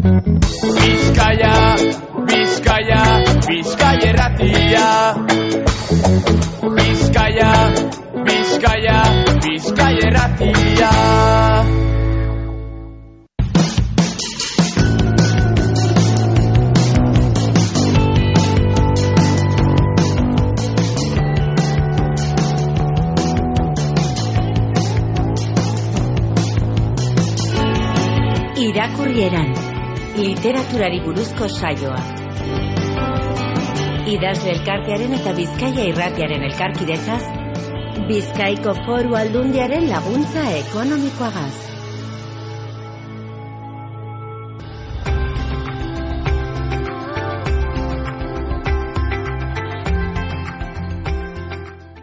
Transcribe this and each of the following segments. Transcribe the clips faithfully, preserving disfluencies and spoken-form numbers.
Bizkaia, Bizkaia, Bizkaia erratia. Bizkaia, Bizkaia, Bizkaia erratia. Irakurrieran, literaturari buruzko saioa. Idazle elkartearen eta Bizkaia irratiaren elkarkidetzaz, Bizkaiko Foru Aldundiaren laguntza ekonomikoagaz.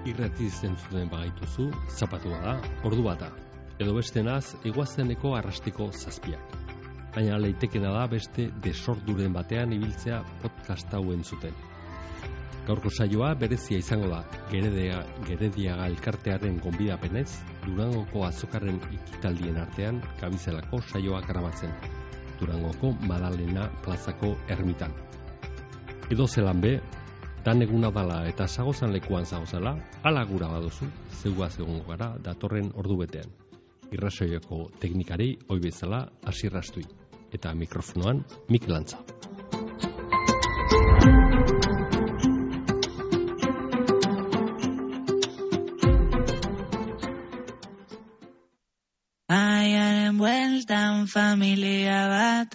Irrati zentzuten bagaituzu, zapatua da, ordu bata. Edo bestenaz, eguazeneko arrastiko zazpiak. Baina leitekena da beste desorduren batean ibiltzea podcast hau entzuten. Gaurko saioa berezia izango da, Geredia, Gerediaga elkartearen gonbidapenez, Durangoko azokarren ikitaldien artean gabizelako saioa gramatzen, Durangoko Madalena plazako ermitan. Edo zelan be, dan eguna dala eta zagozan lekuan zagozala, ala gura baduzu, zeugaz egongo gara datorren ordu betean. Irrasoioko teknikari ohi bezala Hasi Rastui eta mikrofonoan Mikel Antza. Aiaren bueltan familia bat,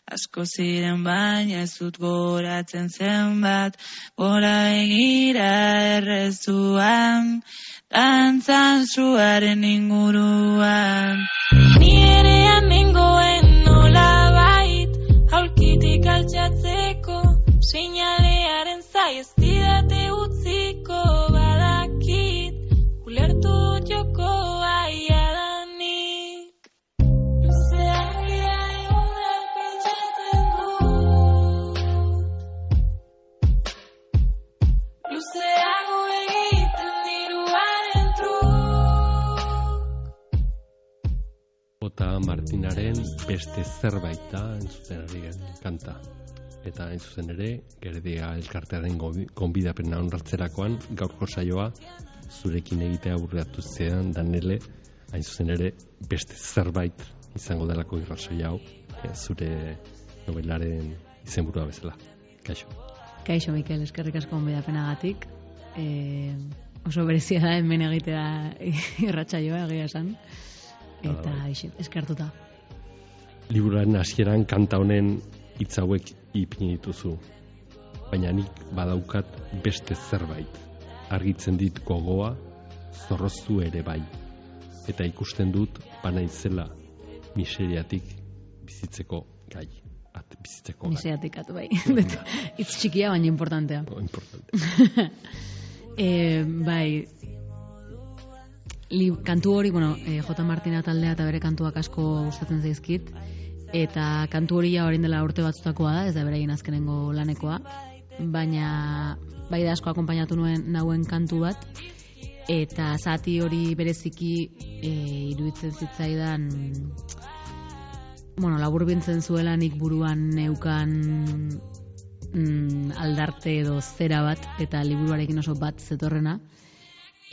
asko ziren baina ez dut goratzen zenbat, gora begira errezuan, dantzan zuaren inguruan. Ni erean nengoen nolabait, aulkitik altxatzeko, seinalearen zai ez didate utziko, badakit, ulertu jokoa iadanik. Luzeak dira egunak pentsatzen du, luzeago egiten diruaren Jota Martinaren beste zerbait da entzuten ari kanta. Eta hain zuzen ere, Geredia elkartearen gonbidapena onartzerakoan gaurko saioa zurekin egitea aurreatu zean Danele, hain zuzen ere beste zerbait izango delako irrasoi hau, zure nobelaren izenburua bezala. Kaixo. Kaixo, Mikel, eskerrik asko gonbidapenagatik. E, oso berezia da hemen egitea irratsaioa egia esan. Eta ah, eskertuta. Liburuaren hasieran kanta honen hitz hauek ipini dituzu. Baina nik badaukat beste zerbait. Argitzen dit gogoa, zorroztu ere bai. Eta ikusten dut banaizela miseriatik bizitzeko gai. At, bizitzeko gai. Miseriatik atu bai. Itz txikia baina importantea. Oh, importante. e, bai, Li, kantu hori, bueno, e, J. Martina taldea eta bere kantuak asko gustatzen zaizkit, eta kantu hori ja orain dela urte batzutakoa da, ez da beraien azkenengo lanekoa, baina bai da asko akonpainatu nuen nauen kantu bat, eta zati hori bereziki e, iruditzen zitzaidan, bueno, laburbintzen zuela nik buruan neukan mm, aldarte edo zera bat, eta liburuarekin oso bat zetorrena,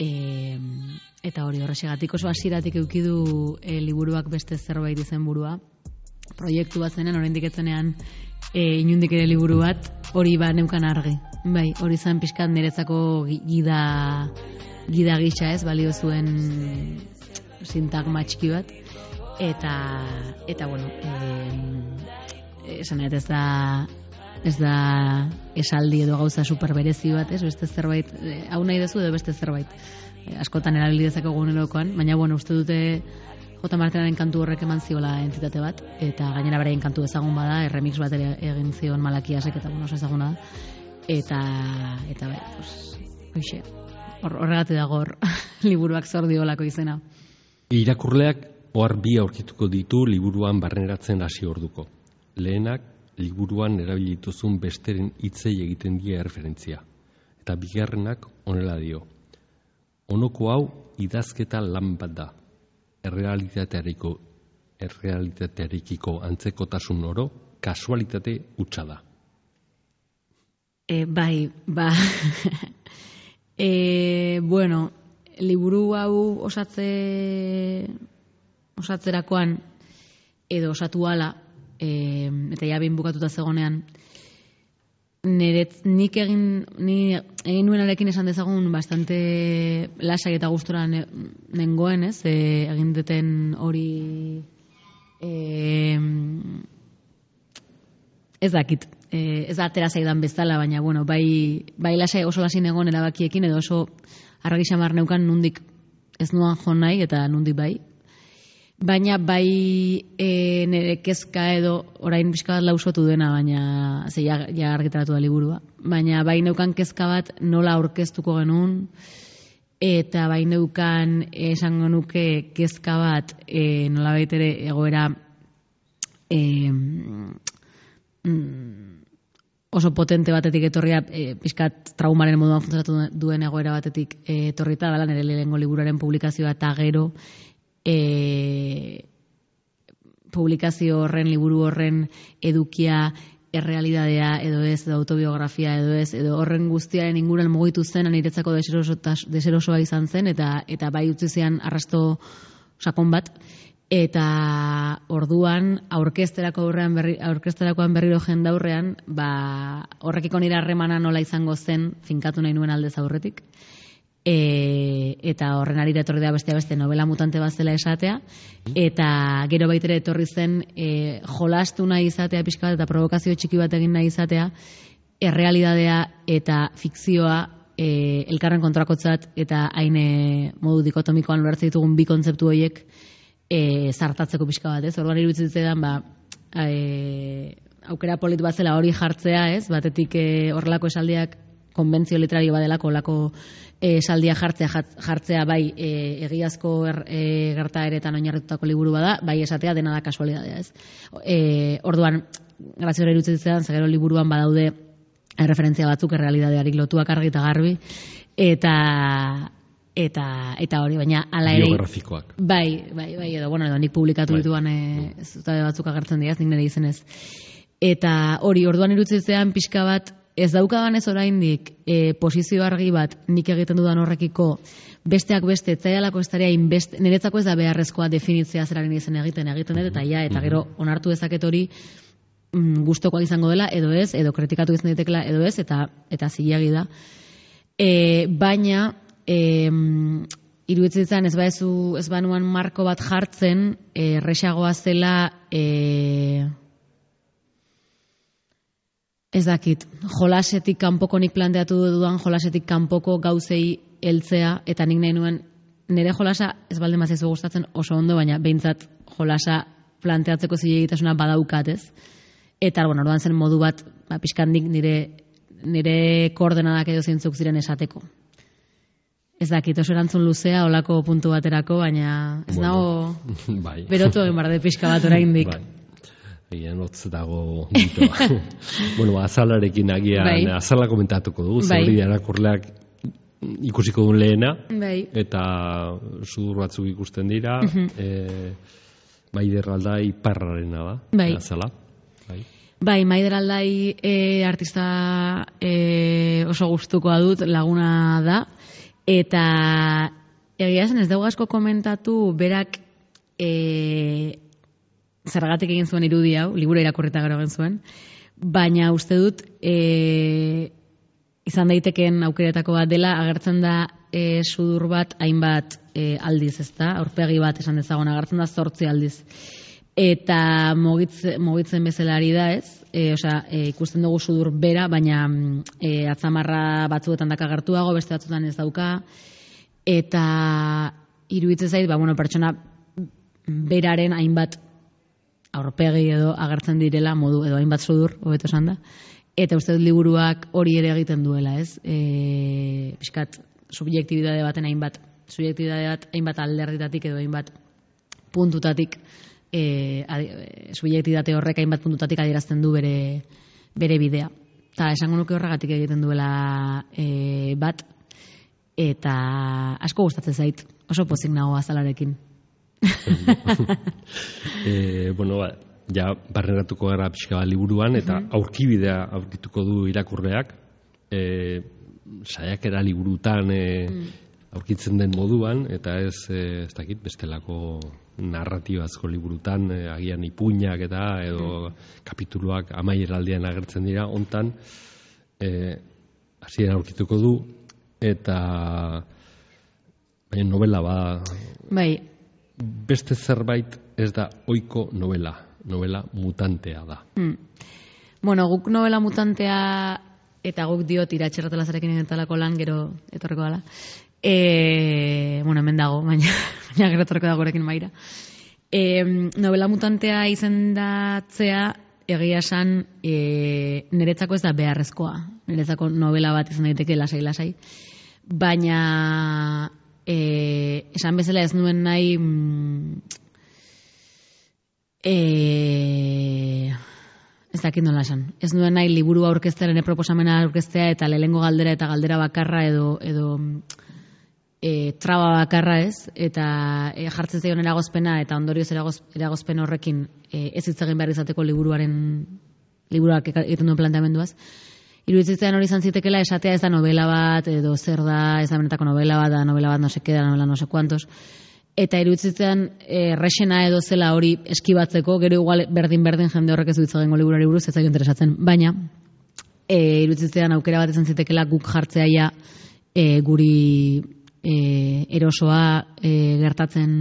E, eta hori horrexegatik oso hasieratik eukidu e, liburuak beste zerbait izenburua. Proiektu bat zenen, oraindik etzenean e, inundik ere liburu bat, hori ba neukan argi. Bai, hori zen pixkat niretzako gida, gida gisa ez, balio zuen sintagma txiki bat. Eta, eta bueno, e, esan ez da... Ez da esaldi edo gauza super berezi bat, ez? Beste zerbait, eh, hau nahi dezu edo beste zerbait. Eh, askotan erabili dezakegu egunerokoan, baina bueno, uste dute J. Martinaren kantu horrek eman ziola entitate bat, eta gainera beraien kantu ezagun bada, remix bat ere egin zion Malakiasek, eta bueno, oso ezaguna da. Eta, eta bai, pues, hoxe, hor, horregatik dago hor, liburuak zordiolako izena. Irakurleak ohar bi aurkituko ditu liburuan barneratzen hasi orduko. Lehenak, liburuan erabilituzun besteren hitzei egiten die erreferentzia. Eta bigarrenak honela dio. Honoko hau idazketa lan bat da. Errealitateariko, errealitatearekiko antzekotasun oro kasualitate hutsa da. E, bai, ba... e, bueno, liburu hau osatze... osatzerakoan, edo osatu ala, e, eta ja behin bukatuta zegonean, Neret, nik egin, ni egin nuenarekin esan dezagun bastante lasai eta gustora ne, nengoen, ez? E, egin duten hori e, ez dakit, e, ez da atera zaidan bezala, baina bueno, bai, bai lasai, oso lasai negon erabakiekin edo oso argi xamar neukan nundik ez nuan jo nahi eta nundik bai. Baina bai e, nire kezka edo orain pixka bat lausotu dena, baina ze ja, ja argitaratu da liburua. Baina bai neukan kezka bat nola aurkeztuko genuen, eta bai neukan esango nuke kezka bat e, nola baitere egoera e, mm, oso potente batetik etorria, e, pixkat traumaren moduan funtzionatu duen egoera batetik e, etorrita, dela nire lehenengo liburuaren publikazioa eta gero E, publikazio horren, liburu horren edukia, errealidadea edo ez, edo autobiografia edo ez, edo horren guztiaren inguruan mugitu zen, niretzako deserosoa izan zen, eta eta bai utzi zian arrasto sakon bat, eta orduan aurkezterako aurrean berri, aurkezterakoan berriro jendaurrean, ba, horrekiko nire harremana nola izango zen finkatu nahi nuen aldez aurretik. E, eta horren arira etorri da bestea beste novela mutante bat zela esatea, eta gero baitere etorri zen e, jolastu nahi izatea pixka bat eta provokazio txiki bat egin nahi izatea, errealidadea eta fikzioa e, elkarren kontrakotzat eta haine modu dikotomikoan ulertzen ditugun bi kontzeptu horiek e, zartatzeko pixka bat, ez? Orduan iruditzen zitzaidan, ba, e, aukera polit bat zela hori jartzea, ez? Batetik e, horrelako esaldiak konbentzio literario badelako, olako esaldia jartzea, jartzea bai e, egiazko er, e, gertaeretan oinarritutako liburu bada, bai esatea dena da kasualidadea, ez? E, orduan, grazio hori iruditzen zitzaidan, zegero liburuan badaude referentzia batzuk errealidadeari lotuak argi eta garbi, eta eta eta hori, baina hala ere biografikoak. Bai, bai, bai, edo bueno, edo nik publikatu bai. dituan e, zutabe batzuk agertzen dira, nik nire izenez. Eta hori, orduan iruditzen zitzaidan pixka bat ez daukadan ez oraindik e, posizio argi bat nik egiten dudan horrekiko besteak beste etzaialako estaria inbest, niretzako ez da beharrezkoa definitzea zeraren izen egiten egiten dut eta ja, eta gero onartu dezaket hori mm, gustokoa izango dela edo ez, edo kritikatu izan daitekela edo ez, eta eta zilegi da. E, baina e, iruditzen zan ez baezu ez banuan marko bat jartzen erresagoa zela e, ez dakit, jolasetik kanpoko nik planteatu dudan jolasetik kanpoko gauzei heltzea, eta nik nahi nuen nire jolasa ez balde mazaizu gustatzen oso ondo, baina behintzat jolasa planteatzeko zilegitasuna badaukat, ez? Eta, bueno, orduan zen modu bat, ba, pixkandik nire, nire koordenadak edo zeintzuk ziren esateko. Ez dakit, oso erantzun luzea, olako puntu baterako, baina ez bueno, nago bai. berotu egin barde pixka bat oraindik. Bai. Egin hotz dago ditoa. Bueno, azalarekin agian, bai. azala komentatuko dugu, bai. Zer hori erakurleak ikusiko duen lehena, bai. Eta sudur batzuk ikusten dira, uh-huh. e, Maider Aldai parrarena da, bai. azala. Bai, bai Maider Aldai e, artista e, oso gustukoa dut, laguna da, eta egia zen ez dugu asko komentatu, berak e, zergatik egin zuen irudi hau, liburu irakurrita gero egin zuen, baina uste dut e, izan daitekeen aukeretako bat dela, agertzen da e, sudur bat hainbat e, aldiz, ezta? Aurpegi bat esan dezagon, agertzen da zortzi aldiz. Eta mogitzen, mogitzen bezala ari da, ez? E, osea, e, ikusten dugu sudur bera, baina e, atzamarra batzuetan daka agertuago, beste batzuetan ez dauka, eta iruditzen zait, ba, bueno, pertsona beraren hainbat aurpegi edo agertzen direla modu edo hainbat sudur, hobeto esan da. Eta uste dut liburuak hori ere egiten duela, ez? E, pixkat, subjektibidade baten hainbat, subjektibidade bat hainbat alderditatik edo hainbat puntutatik, e, subjektibidate horrek hainbat puntutatik adierazten du bere, bere bidea. Eta esango nuke horregatik egiten duela e, bat, eta asko gustatzen zait, oso pozik nago azalarekin. e, bueno, ba, ja barneratuko gara pixka bat liburuan, eta Mhm. aurkibidea aurkituko du irakurleak, e, saiakera liburutan e, aurkitzen den moduan, eta ez, e, ez dakit, bestelako narratibazko liburutan, e, agian ipuinak eta, edo kapituluak amaieraldian agertzen dira, hontan, e, hasieran aurkituko du, eta baina novela ba, Bai, beste zerbait ez da ohiko novela, novela mutantea da. mm. Bueno, guk novela mutantea, eta guk diot iratxerratelazarekin egentalako lan gero etorreko dela. E, bueno, hemen dago, baina, baina gero etorreko da gurekin maira. E, novela mutantea izendatzea, egia esan, e, niretzako ez da beharrezkoa. Niretzako novela bat izan daiteke lasai-lasai. Baina, e, esan bezala ez nuen nahi... Mm, e, ez dakit nola esan. Ez nuen nahi liburu aurkeztearen proposamena aurkeztea eta lehengo galdera eta galdera bakarra edo... edo E, traba bakarra ez, eta e, jartzen zaion eragozpena eta ondorioz eragoz, eragozpen horrekin e, ez hitz egin behar izateko liburuaren liburuak egiten duen planteamenduaz. Iruditzen hori izan zitekela esatea ez da novela bat, edo zer da, ez da benetako novela bat, da novela bat no se queda, novela no se cuantos. Eta iruditzen errexena edo zela hori eskibatzeko, gero igual berdin-berdin jende horrek ez du hitz egingo liburuari buruz, ez zaio interesatzen, baina e, iruditzen aukera bat izan zitekela guk jartzea ja e, guri E, erosoa e, gertatzen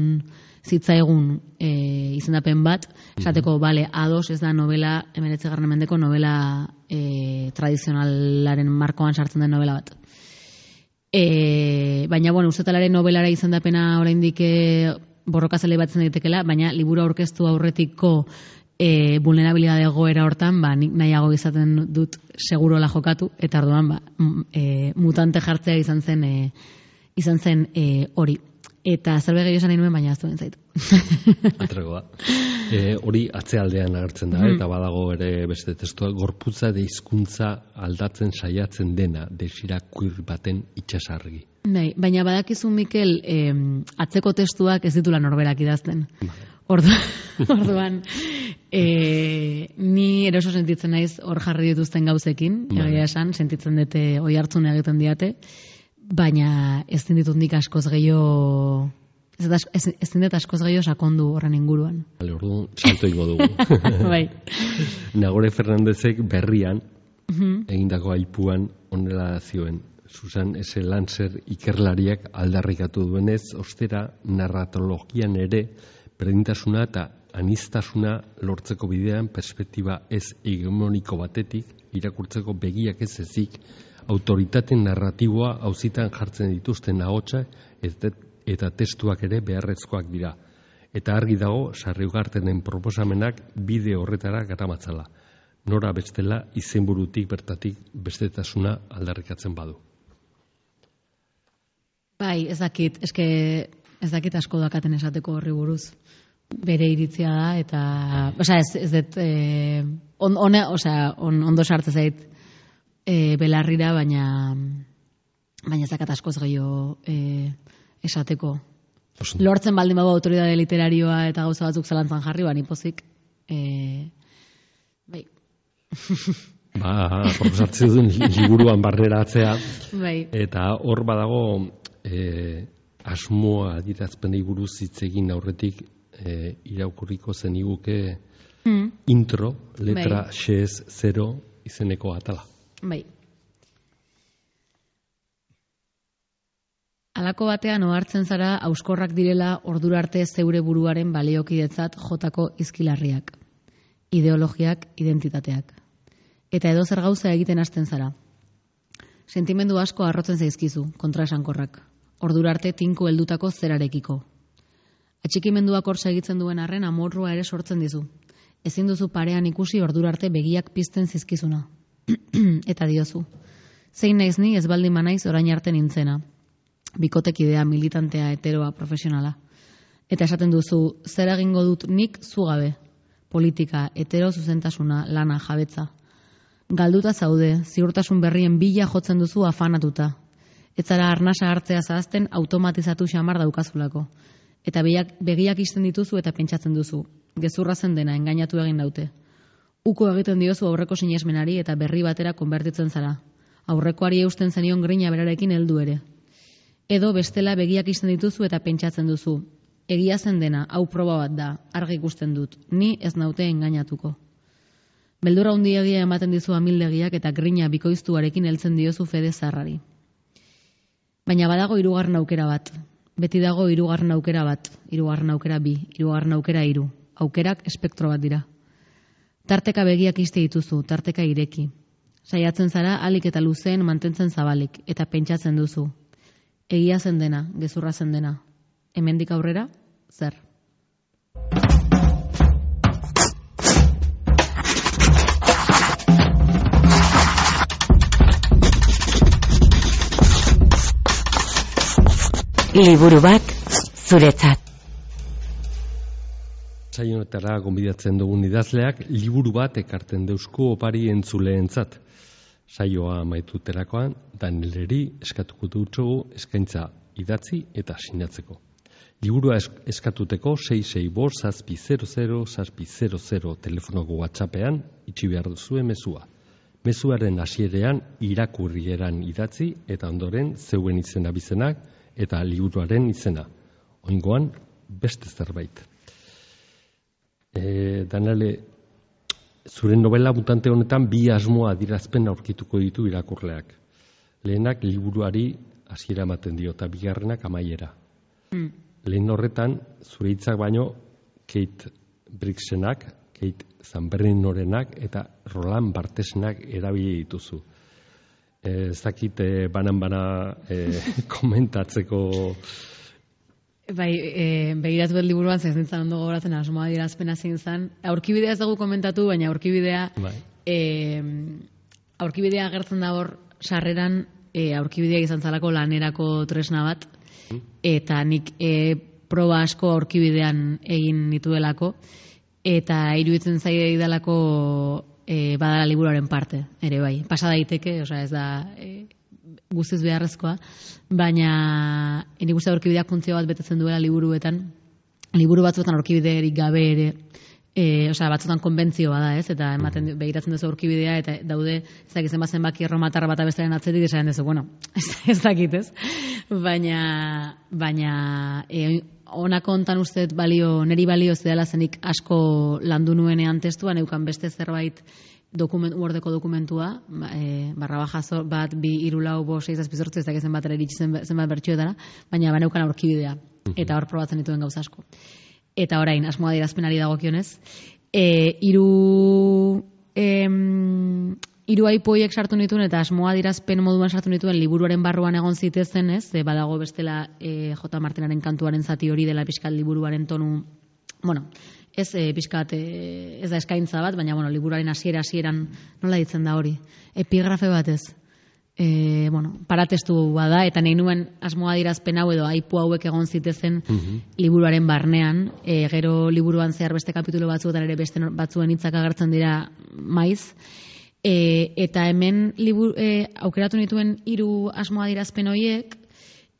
zitzaigun e, izendapen bat, esateko, bale, ados ez da novela, hemeretzigarren mendeko novela e, tradizionalaren markoan sartzen den novela bat. E, baina, bueno, ustetalaren novelara izendapena oraindik e, borrokazale batzen daitekela, baina liburu aurkeztu aurretiko e, vulnerabilidade egoera hortan, ba, nik nahiago izaten dut segurola jokatu, eta orduan, ba, e, mutante jartzea izan zen e, izan zen e, hori. Eta zerbait gehiago esan nahi nuen, baina aztuen zaitu. Atrego da. E, hori atzealdean agertzen da, Mhm. eta badago ere beste testua, gorputza de hizkuntza aldatzen saiatzen dena, desirakuir baten itxasargi. Bai, baina badakizu, Mikel, eh, atzeko testuak ez ditula norberak idazten. Orduan, orduan e, ni eroso sentitzen naiz hor jarri dituzten gauzekin, Bai. egia esan, sentitzen dute oi hartzun egiten diate, baina ez ditut nik askoz gehiago, ez, ez, ez dut askoz gehiago sakondu horren inguruan. Bale, orduan, salto ingo dugu. Bai. Nagore Fernandezek berrian, Mhm. egindako aipuan onela zioen. Susan S. Lancer ikerlariak aldarrikatu duenez, ostera narratologian ere berdintasuna eta aniztasuna lortzeko bidean perspektiba ez hegemoniko batetik, irakurtzeko begiak ez ezik, autoritate narratiboa auzitan jartzen dituzten ahotsa eta testuak ere beharrezkoak dira. Eta argi dago, Sarriugartenen proposamenak bide horretara garamatzala. Nora bestela izenburutik bertatik bestetasuna aldarrikatzen badu. Bai, ez dakit, eske ez dakit asko dakaten esateko horri buruz. Bere iritzia da, eta, osea, ez, ez dut, eh, on, on, osea, on, ondo sartzen zait e, belarrira, baina baina ez dakat askoz gehiago e, esateko. Oso. Lortzen baldin bago autoridade literarioa eta gauza batzuk zalantzan jarri, bani pozik. E, bai. Ba, proposatzen duen liburuan barneratzea, Bai. eta hor badago e, asmoa adirazpenei buruz hitz egin aurretik e, irakurriko zeniguke Mm. intro, letra Bai. xez zero izeneko atala. Bai. Halako batean ohartzen zara auskorrak direla ordura arte zeure buruaren baliokidetzat jotako izkilarriak, ideologiak, identitateak. Eta edo zer gauza egiten hasten zara. Sentimendu asko arrotzen zaizkizu, kontraesankorrak. Ordura arte tinko heldutako zerarekiko. Atxikimenduak hor segitzen duen arren amorrua ere sortzen dizu. Ezin duzu parean ikusi ordura arte begiak pizten zizkizuna. Eta diozu. Zein naiz ni ez baldin banaiz orain arte nintzena. Bikotekidea, militantea, heteroa, profesionala. Eta esaten duzu, zer egingo dut nik zugabe. Politika, hetero zuzentasuna, lana, jabetza. Galduta zaude, ziurtasun berrien bila jotzen duzu afanatuta. Ez zara arnasa hartzea zahazten automatizatu xamar daukazulako. Eta begiak, begiak isten dituzu eta pentsatzen duzu. gezurra zen dena, engainatu egin daute. Uko egiten diozu aurreko sinesmenari eta berri batera konbertitzen zara. Aurrekoari eusten zenion grina berarekin heldu ere. Edo bestela begiak isten dituzu eta pentsatzen duzu. Egia zen dena, hau proba bat da, argi ikusten dut, ni ez naute engainatuko. Beldurra handiegia ematen dizu amildegiak eta grina bikoiztuarekin heltzen diozu fede zarrari. Baina badago hirugarren aukera bat. Beti dago hirugarren aukera bat, hirugarren aukera bi, hirugarren aukera hiru. Aukerak espektro bat dira. Tarteka begiak iste dituzu, tarteka ireki. Saiatzen zara alik eta luzeen mantentzen zabalik eta pentsatzen duzu. Egia zen dena, gezurra zen dena. Hemendik aurrera, zer? Liburu bat zuretzat. Saionetara gonbidatzen dugun idazleak liburu bat ekarten deusku opari entzuleentzat. Saioa amaituterakoan Danieleri eskatuko dutxogu eskaintza idatzi eta sinatzeko. Liburua eskatuteko sei sei bost zazpi zero zero zazpi zero zero telefonoko WhatsAppean itxi behar duzue mezua. Mezuaren hasierean irakurrieran idatzi eta ondoren zeuen izena bizenak eta liburuaren izena. Oingoan beste zerbait. E, Danale, zure novela mutante honetan bi asmoa adierazpen aurkituko ditu irakurleak. Lehenak liburuari hasiera ematen dio eta bigarrenak amaiera. Mm. Lehen horretan, zure hitzak baino Kate Bricksenak, Kate Zanberrinorenak eta Roland Barthesenak erabili dituzu. Ez dakit e, banan-bana e, komentatzeko... Bai, e, begiratu bet liburuan zezintzen ondo gogoratzen asmoa adierazpena zein zen. Aurkibidea ez dugu komentatu, baina aurkibidea bai. e, aurkibidea agertzen da hor sarreran e, aurkibidea izan zalako lanerako tresna bat, eta nik e, proba asko aurkibidean egin nituelako, eta iruditzen zaide idalako e, badala liburuaren parte, ere bai. Pasa daiteke, osea ez da... E, guztiz beharrezkoa, baina nik uste aurkibideak funtzio bat betetzen duela liburuetan. Liburu batzuetan aurkibiderik gabe ere, e, osea, batzuetan konbentzioa da, ez? Eta ematen begiratzen duzu aurkibidea eta daude, ez dakit zenbat zenbaki erromatar bata bestearen atzetik esaten duzu, bueno, ez, ez dakit, ez? Baina, baina e, honako hontan uste balio, neri balio ez dela zenik asko landu nuenean testuan, eukan beste zerbait dokument, Wordeko dokumentua, e, barra baja bat, bi, iru, lau, bo, sei, zazpi, zortzi, ez dakit zenbat ere iritsi zenbat bertxoetara, baina baneukan aurkibidea, eta hor probatzen dituen gauza asko. Eta orain, asmoa adierazpenari dagokionez, e, iru, em, iru aipoiek sartu nituen, eta asmoa adierazpen moduan sartu nituen liburuaren barruan egon zitezen, ez, e, badago bestela e, J. Martinaren kantuaren zati hori dela pixkat liburuaren tonu, bueno, ez e, pixkat, e, ez da eskaintza bat, baina bueno, liburuaren hasiera hasieran nola ditzen da hori, epigrafe bat ez, e, bueno, paratestu bada, eta nahi nuen asmoa adierazpen hau edo aipu hauek egon zitezen mm-hmm. liburuaren barnean, e, gero liburuan zehar beste kapitulo batzuetan ere beste batzuen hitzak agertzen dira maiz, e, eta hemen liburu, e, aukeratu nituen hiru asmoa adierazpen horiek,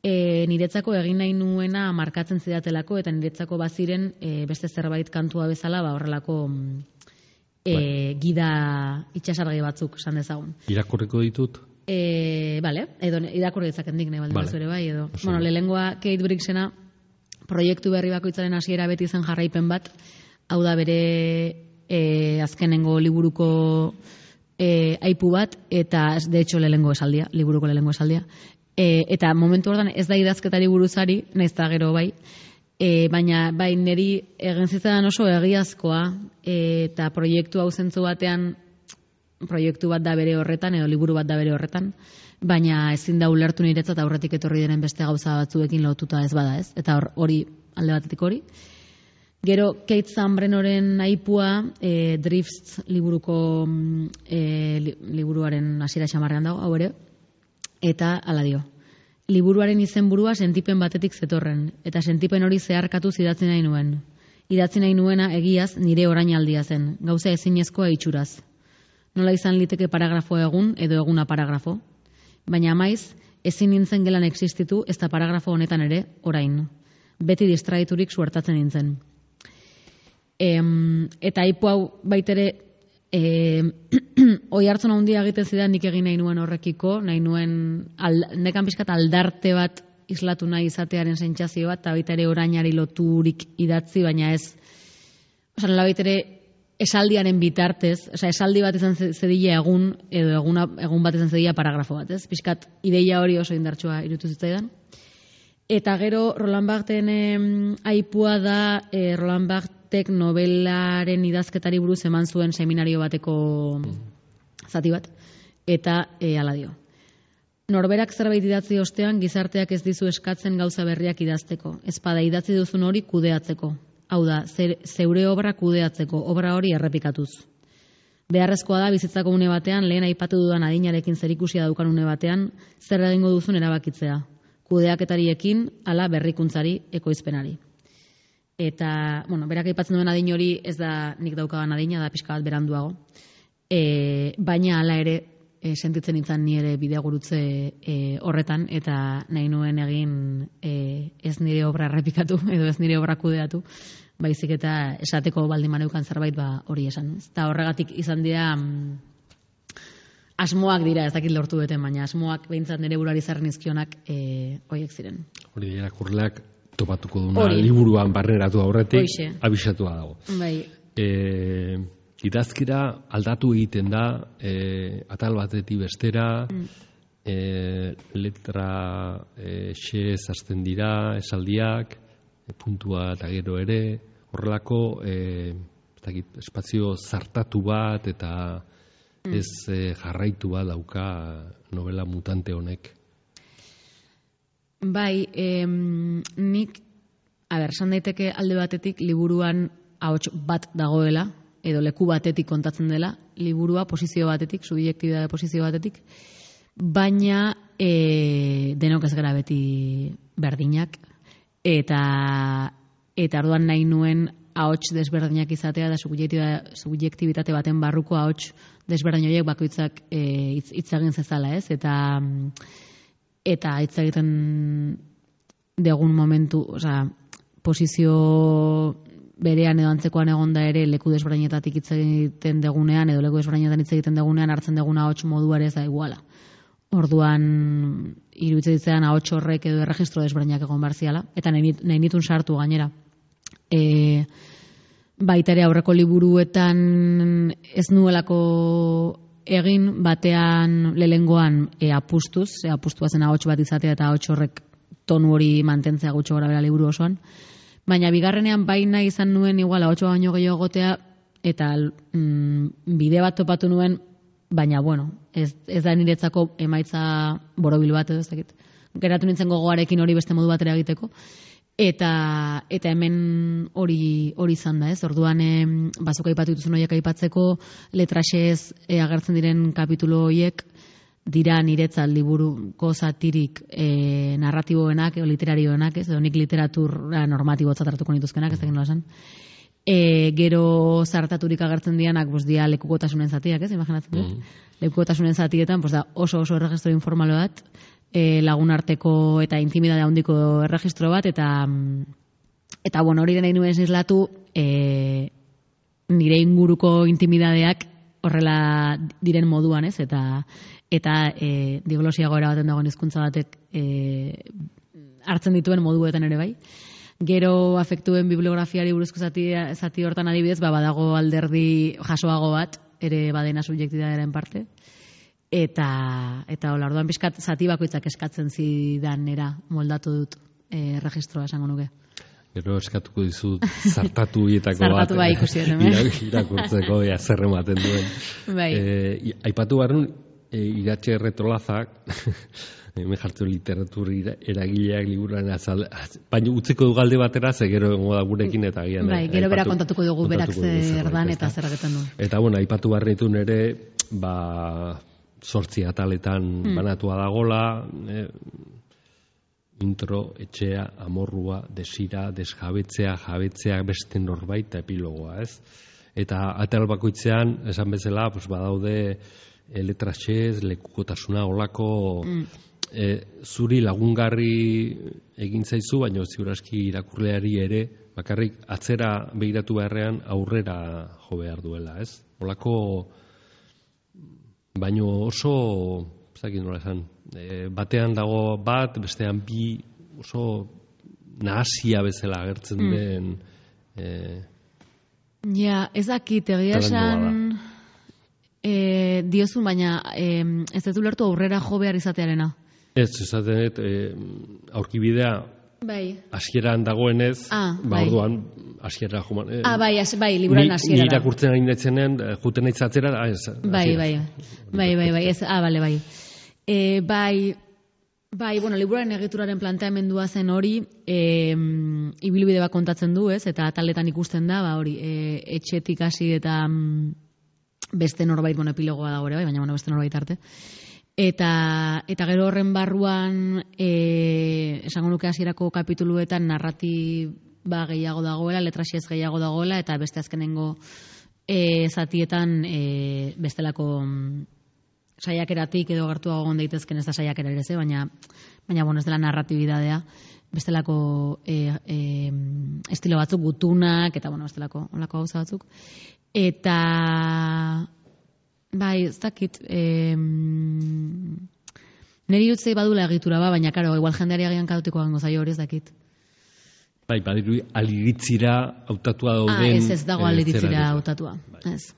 E, niretzako egin nahi nuena markatzen zidatelako, eta niretzako baziren e, beste zerbait kantua bezala, ba horrelako e, gida itxasargi batzuk, esan dezagun. Irakurriko ditut? E, bale, edo irakurri ditzaken dik nahi baldin vale. Ere bai, edo. Oso. Bueno, lehengoa Kate Bricksena proiektu berri bakoitzaren hasiera beti zen jarraipen bat, hau da bere e, azkenengo liburuko e, aipu bat, eta de hecho lehengo esaldia, liburuko lehengo esaldia. E, eta momentu hortan ez da idazketari buruzari, nahiz da gero bai, e, baina bai niri egin zitzaidan oso egiazkoa, e, eta proiektu hau zentzu batean, proiektu bat da bere horretan, edo liburu bat da bere horretan, baina ezin da ulertu niretzat aurretik etorri diren beste gauza batzuekin lotuta ez bada ez, eta hori alde batetik hori. Gero Kate Zanbrenoren aipua, e, Drifts liburuko e, li, liburuaren hasiera xamarrean dago, hau ere, eta hala dio. Liburuaren izenburua sentipen batetik zetorren, eta sentipen hori zeharkatu idatzi nahi nuen. Idatzi nahi nuena egiaz nire orainaldia zen, gauza ezinezkoa itxuraz. Nola izan liteke paragrafoa egun edo eguna paragrafo, baina maiz ezin nintzen gelan existitu ez da paragrafo honetan ere orain. Beti distraiturik suertatzen nintzen. Em, eta aipu hau baitere e, oi hartzun handia egiten zidan nik egin nahi nuen horrekiko, nahi nuen al, nekan pixkat aldarte bat islatu nahi izatearen sentsazio bat, eta baita ere orainari loturik idatzi, baina ez, osan baitere esaldiaren bitartez, oza, esaldi bat izan zedila egun, edo eguna, egun bat izan zedila paragrafo bat, ez? Pixkat ideia hori oso indartsua irutu zitzaidan. Eta gero Roland Barthen eh, aipua da eh, Roland Barthek novelaren idazketari buruz eman zuen seminario bateko zati bat, eta eh, hala dio. Norberak zerbait idatzi ostean gizarteak ez dizu eskatzen gauza berriak idazteko, ezpada idatzi duzun hori kudeatzeko. Hau da, zeure obra kudeatzeko, obra hori errepikatuz. Beharrezkoa da bizitzako une batean, lehen aipatu dudan adinarekin zerikusia daukan une batean, zer egingo duzun erabakitzea. Kudeaketariekin, ala berrikuntzari, ekoizpenari. Eta, bueno, berak aipatzen duen adin hori ez da nik daukagan adina, da pixka bat beranduago. E, baina hala ere, e, sentitzen nintzen ni ere bidegurutze e, horretan, eta nahi nuen egin e, ez nire obra errepikatu, edo ez nire obra kudeatu, baizik eta esateko baldin maneukan zerbait ba hori esan. Eta horregatik izan dira mm, asmoak dira, ez dakit lortu duten, baina asmoak behintzat nire burari zarren izkionak e, horiek ziren. Hori irakurleak topatuko duna Ori. Liburuan barneratu aurretik Hoixe. Abisatua dago. Bai. E, idazkira aldatu egiten da, e, atal batetik bestera, mm. e, letra e, xez hasten dira, esaldiak, e, puntua eta gero ere, horrelako e, ez dakit, espazio zartatu bat eta ez eh, jarraitu bat dauka novela mutante honek. Bai, em, nik, a ber, esan daiteke alde batetik liburuan ahots bat dagoela, edo leku batetik kontatzen dela, liburua posizio batetik, subjektibitate posizio batetik, baina e, denok ez gara beti berdinak, eta eta orduan nahi nuen ahots desberdinak izatea da subjektibitate baten barruko ahots desberdin horiek bakoitzak e, hitz, hitz egin zezala, ez? Eta eta hitz egiten degun momentu, osea, posizio berean edo antzekoan egonda ere leku desberdinetatik hitz egiten degunean edo leku desberdinetan hitz egiten degunean hartzen deguna ahots modu ere ez da iguala. Orduan iruditzen ditzean ahots horrek edo erregistro desberdinak egon barziala, eta nahi, nahi nitun sartu gainera. E, baita ere aurreko liburuetan ez nuelako egin batean lehengoan e, apustuz, e, apustua zen ahots bat izatea eta ahots horrek tonu hori mantentzea gutxo gora bera liburu osoan. Baina bigarrenean baina izan nuen igual ahotsa baino gehiago egotea eta mm, bide bat topatu nuen, baina bueno, ez, ez da niretzako emaitza borobil bat edo ez dakit. Geratu nintzen gogoarekin hori beste modu batera egiteko. Eta eta hemen hori hori izan da, ez? Orduan eh, bazuk aipatu dituzun horiek aipatzeko letraxez eh, agertzen diren kapitulu horiek dira niretzat liburuko zatirik eh, narratiboenak edo literarioenak, ez? Edo nik literatura normatibotzat hartuko nituzkenak, ez dakit nola esan. E, gero zartaturik agertzen dianak, pues, dia lekukotasunen zatiak, ez? Imaginatzen dut. Mm. Lekukotasunen zatietan, pues, da oso oso erregistro informalo bat, E, lagun arteko eta intimidade handiko erregistro bat, eta eta bueno, hori nahi nuen islatu e, nire inguruko intimidadeak horrela diren moduan, ez? Eta eta e, diglosia goera baten dagoen hizkuntza batek e, hartzen dituen moduetan ere bai. Gero afektuen bibliografiari buruzko zati, zati hortan adibidez, ba, badago alderdi jasoago bat, ere badena subjektidadearen parte. Eta, eta hola, orduan pixkat zati bakoitzak eskatzen zidanera moldatu dut e, registroa esango nuke. Gero eskatuko dizut zartatu hietako bat. Zartatu bai ikusi hemen. Irakurtzeko ja zer ematen duen. Bai. E, aipatu barrun, e, Iratxe Erretolazak, hemen jartzen literatur eragileak liburuan azal, baina utziko du galde batera, ze gero egongo da gurekin eta gian. Bai, gero bera kontatuko dugu berak zer dan eta zer egiten du. Eta bueno, aipatu barrenitun ere, ba, sortzi ataletan mm. banatua dagola, eh, intro, etxea, amorrua, desira, desjabetzea, jabetzea, beste norbait eta epilogoa, ez? Eta atal bakoitzean, esan bezala, pues, badaude e, letraxez, lekukotasuna, olako mm. e, zuri lagungarri egin zaizu, baina ziur aski irakurleari ere bakarrik atzera begiratu beharrean aurrera jo behar duela, ez? Olako, baino oso, zakin nola esan, e, batean dago bat, bestean bi, oso nahasia bezala agertzen Mm. den... E, Ja, ez dakit, egia esan e, diozun, baina e, ez dut ulertu aurrera jo behar izatearena. ez, esaten dut, e, aurkibidea Bai. hasieran dagoenez, Ah, ba, bai. orduan, hasiera joman... E, Ah, bai, as, bai, liburan ni, hasiera ni da. irakurtzen ari netzenean, e, juten aitzatzera, ah, ez, Bai, hasiera. bai, bai, bai, bai, ez, ah, bale, bai. E, bai, bai, bueno, liburuaren egituraren planteamendua zen hori, e, ibilbide bat kontatzen du, ez, eta taletan ikusten da, ba, hori, e, etxetik hasi eta mm, beste norbait, bueno, epilogoa dago ere, bai, baina, bueno, beste norbait arte. Eta, eta gero horren barruan, e, esango nuke hasierako kapituluetan narratiba gehiago dagoela, letrasiez gehiago dagoela, eta beste azkenengo e, zatietan e, bestelako mm, saiakeratik edo gertuago egon daitezken ez da saiakera ere, ze, baina, baina bueno, ez dela narratibidadea, bestelako e, e, estilo batzuk, gutunak, eta bueno, bestelako olako gauza batzuk. Eta... Bai, ez dakit, eh, niri utzei badula egitura ba, baina, karo, igual jendeari agian kadutiko gango zaio hori ez dakit. Bai, badiru aliritzira hautatua dauden... Ah, ez ez dago eh, aliritzira zera- hautatua. Ez,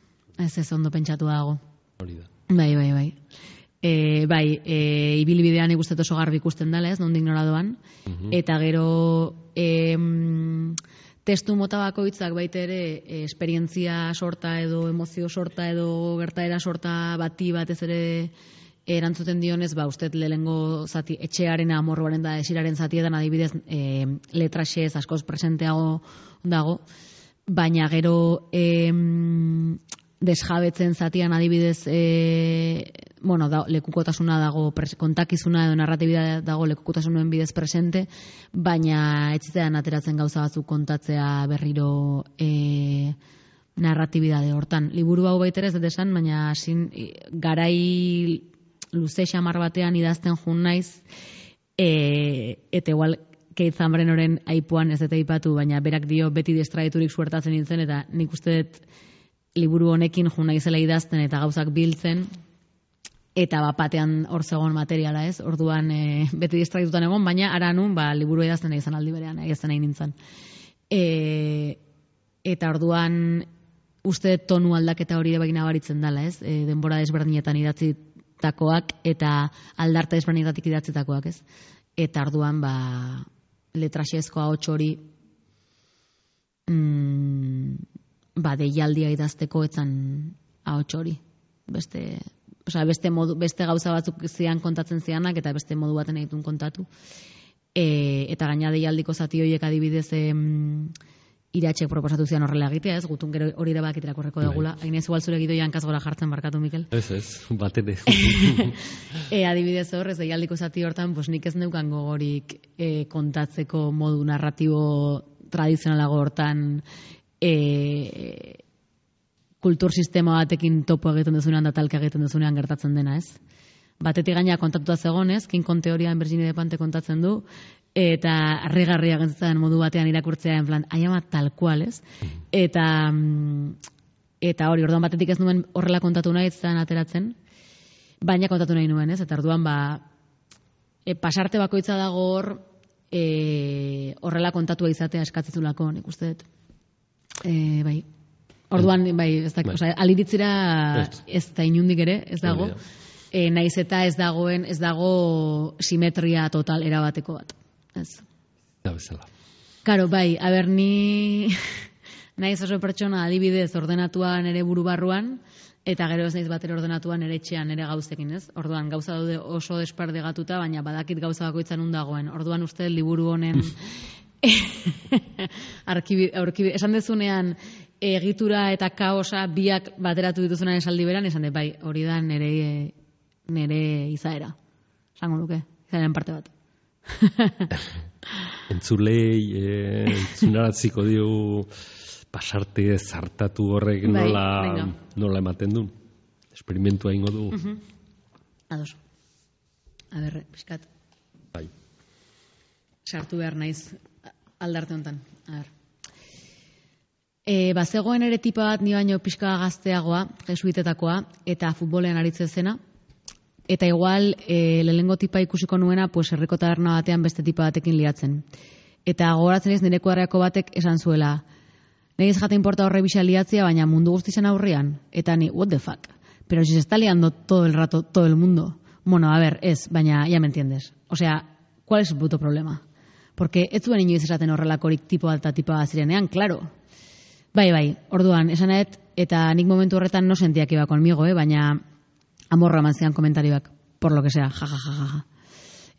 ez ez ondo pentsatu dago. Hori da. Bai, bai, bai. E, bai, e, ibilbidean ikustet oso garbi ikusten dela, ez, nondik nora doan. Eta gero... E, testu mota bakoitzak baita ere e, esperientzia sorta edo emozio sorta edo gertaera sorta bati batez ere erantzuten dionez, ba, usted lehengo zati, etxearen amorroaren da esiraren zatietan adibidez e, letraxez askoz presenteago dago, baina gero e, desjabetzen zatian adibidez e, bueno, da, lekukotasuna dago, pres, kontakizuna edo narratibidea dago lekukotasunen bidez presente, baina etzitean ateratzen gauza batzuk kontatzea berriro e, narratibidade hortan. Liburu hau baitere ez dut esan, baina sin, garai luze xamar batean idazten jun naiz, e, eta igual Keith Zambrenoren aipuan ez dut aipatu, baina berak dio beti distraiturik suertatzen nintzen, eta nik uste dut liburu honekin jun naizela idazten eta gauzak biltzen, eta bapatean hor zegoen materiala, ez? Orduan e, beti distraitutan egon, baina ara nun, ba, liburu idazten nahi izan aldi berean, idazten nahi nintzen. E, eta orduan uste tonu aldaketa hori ere nabaritzen dela, ez? E, denbora desberdinetan idatzitakoak eta aldarte desberdinetatik idatzitakoak, ez? Eta orduan, ba, letraxezko ahots hori mm, ba, deialdia idazteko etzan ahots hori. Beste... Osea, beste, modu, beste gauza batzuk zian kontatzen zianak eta beste modu baten egitun kontatu. E, eta gaina deialdiko zati horiek adibidez em, iratxek proposatu zian horrela egitea, ez? Gutun gero hori ere bakit irakurreko degula. Hainez igual zure gidoia hankaz gora jartzen barkatu, Mikel. Ez, ez, bat ere. e, adibidez hor, ez deialdiko zati hortan, pues nik ez neukan gogorik e, kontatzeko modu narratibo tradizionalago hortan e, kultur sistema batekin topo egiten duzunean da talka egiten duzunean gertatzen dena, ez? Batetik gaina kontatuta zegonez, King Kong teorian Virginia de Pante kontatzen du, eta harrigarria gentzatzen modu batean irakurtzea, en plan, aiama tal cual, ez? Eta, eta hori, orduan batetik ez nuen horrela kontatu nahi zen ateratzen, baina kontatu nahi nuen, ez? Eta orduan, ba, e, pasarte bakoitza dago hor, e, horrela kontatua izatea eskatzezulako, nik uste dut. E, bai. Orduan, bai, ez da, bai. Osea, aliritzira ez da inundik ere, ez dago. Hori da. E, naiz eta ez dagoen, ez dago simetria total erabateko bat. Ez. Da bezala. Karo, bai, aber ni naiz oso pertsona adibidez ordenatuan ere buru barruan, eta gero ez naiz batera ordenatuan ere etxean ere gauzekin, ez? Orduan, gauza daude oso desperdegatuta, baina badakit gauza bakoitzan nun dagoen. Orduan uste liburu honen arkibi, aurkibi, esan dezunean egitura eta kaosa biak bateratu dituzunan esaldi beran, esan dut, bai, hori da nere, nere izaera. Esango nuke, izaeren parte bat. Entzulei, eh, entzunaratziko diu pasarte zartatu horrek Bai, nola, venga. nola ematen du. Esperimentua ingo du. Mhm. Ados. A ber, pixkat, Bai. sartu behar naiz aldarte honetan. A ber. E, bazegoen ere tipa bat, ni baino pixka gazteagoa, jesuitetakoa, eta futbolean aritzen zena, eta igual e, lehengo tipa ikusiko nuena, pues herriko taberna batean beste tipa batekin liatzen. Eta gogoratzen ez nire kuadreako batek esan zuela, negiz jate importa horre bisa liatzia, baina mundu guztizen aurrian, eta ni, what the fuck? Pero si se está liando todo el rato, todo el mundo. Bueno, a ver, ez, baina ya me entiendes. O sea, ¿cuál es el puto problema? Porque ez zuen inoiz esaten horrelakorik tipo bat eta tipa bat zirenean, claro. Bai, bai, orduan, esanet, eta nik momentu horretan no sentiak iba conmigo, eh? Baina amorra eman zian komentarioak, por lo que sea, ja, ja, ja, ja.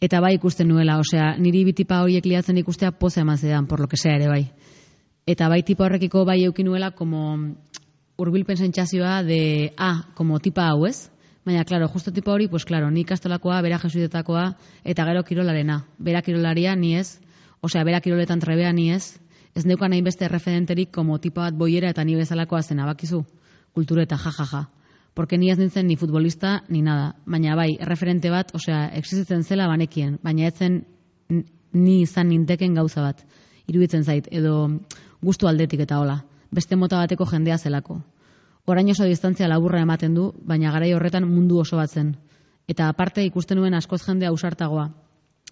Eta bai ikusten nuela, osea, niri bitipa horiek liatzen ikustea poza eman zidan, por lo que sea ere bai. Eta bai tipa horrekiko bai eukin nuela, como urbilpen sentsazioa de, ah, como tipa hau ez? Baina, claro, justo tipa hori, pues claro, ni ikastolakoa, bera jesuitetakoa, eta gero kirolarena. Bera kirolaria ni ez, osea, bera kiroletan trebea ni ez, ez neukan nahi beste referenterik como tipa bat boiera eta ni bezalakoa zena, bakizu, kultureta, jajaja. Ja, ja. Porque ni ez nintzen ni futbolista, ni nada. Baina bai, referente bat, osea, existitzen zela banekien, baina etzen ni izan ninteken gauza bat. Iruditzen zait, edo gustu aldetik eta hola. Beste mota bateko jendea zelako. Orain oso distantzia laburra ematen du, baina garai horretan mundu oso bat zen. Eta aparte ikusten nuen askoz jende ausartagoa.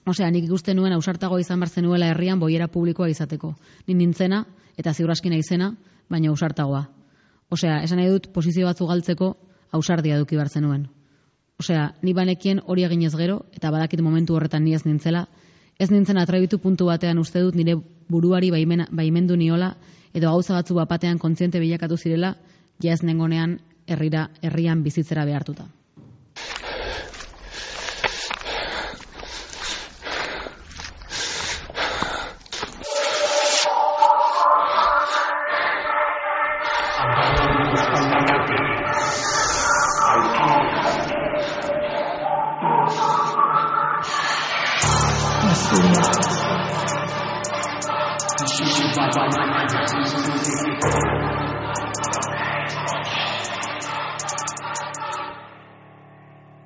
Osea, nik ikusten nuen ausartagoa izan bartzen nuela herrian boiera publikoa izateko. Ni nintzena, eta ziur aski naizena, baina ausartagoa. Osea, esan nahi dut posizio batzu galtzeko ausardia eduki bartzen nuen. Osea, ni banekien hori eginez gero, eta badakit momentu horretan ni ez nintzela, ez nintzen atrebitu puntu batean uste dut nire buruari baimena, baimendu niola, edo gauza batzu bapatean kontziente bilakatu zirela, ja ez nengonean herrira, herrian bizitzera behartuta.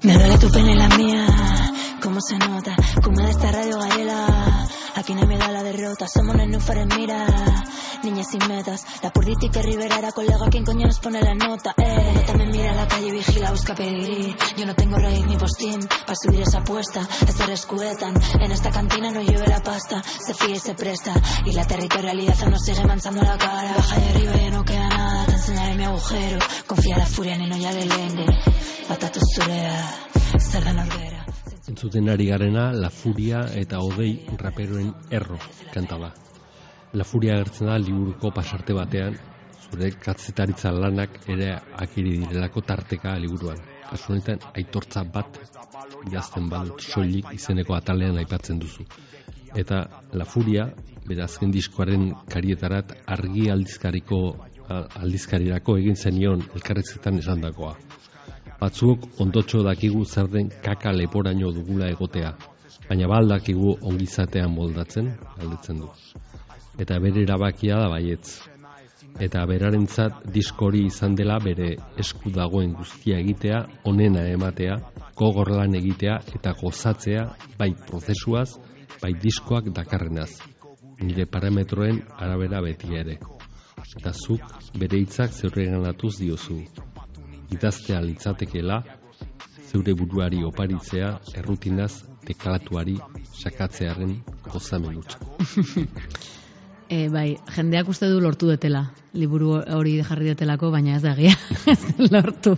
Me duele tu pena en la mía, cómo se nota, como de esta radio Garela. Aquí no me da la derrota, somos los núfares, mira. Niñas sin metas, la purdita y que Rivera era colega, ¿quién coño nos pone la nota? Eh, la nota me mira en la calle, vigila, busca pedigrí. Yo no tengo raíz ni postín, para subir esa apuesta. Estar escuetan, en esta cantina no lleve la pasta. Se fía y se presta, y la territorialidad nos sigue manchando la cara. Baja de arriba ya no queda nada, te enseñaré mi agujero. Confía la furia, ni no ya le lenge. Batatu zurea, zer da norbera. Entzuten ari garena, La Furia eta Odei raperoen erro kanta da. La Furia agertzen da liburuko pasarte batean, zure kazetaritza lanak ere akiri direlako tarteka liburuan. Kasu honetan aitortza bat idazten badut soilik izeneko atalean aipatzen duzu. Eta La Furia, bere azken diskoaren karietarat argi aldizkariko aldizkarirako egin zenion elkarrezetan esandakoa. Batzuok ondotxo dakigu zer den kaka leporaino dugula egotea, baina baldakigu ongizatean moldatzen, galdetzen du. Eta bere erabakia da baietz. Eta berarentzat diskori izan dela bere esku dagoen guztia egitea, onena ematea, gogor lan egitea eta gozatzea bai prozesuaz, bai diskoak dakarrenaz. Nire parametroen arabera beti ere. Eta zuk bere hitzak zeurreganatuz diozu. Idaztea litzatekeela, zeure buruari oparitzea, errutinaz teklatuari sakatzearen gozamen hutsa. E, bai, jendeak uste du lortu detela, liburu hori jarri detelako, baina ez da egia, ez lortu.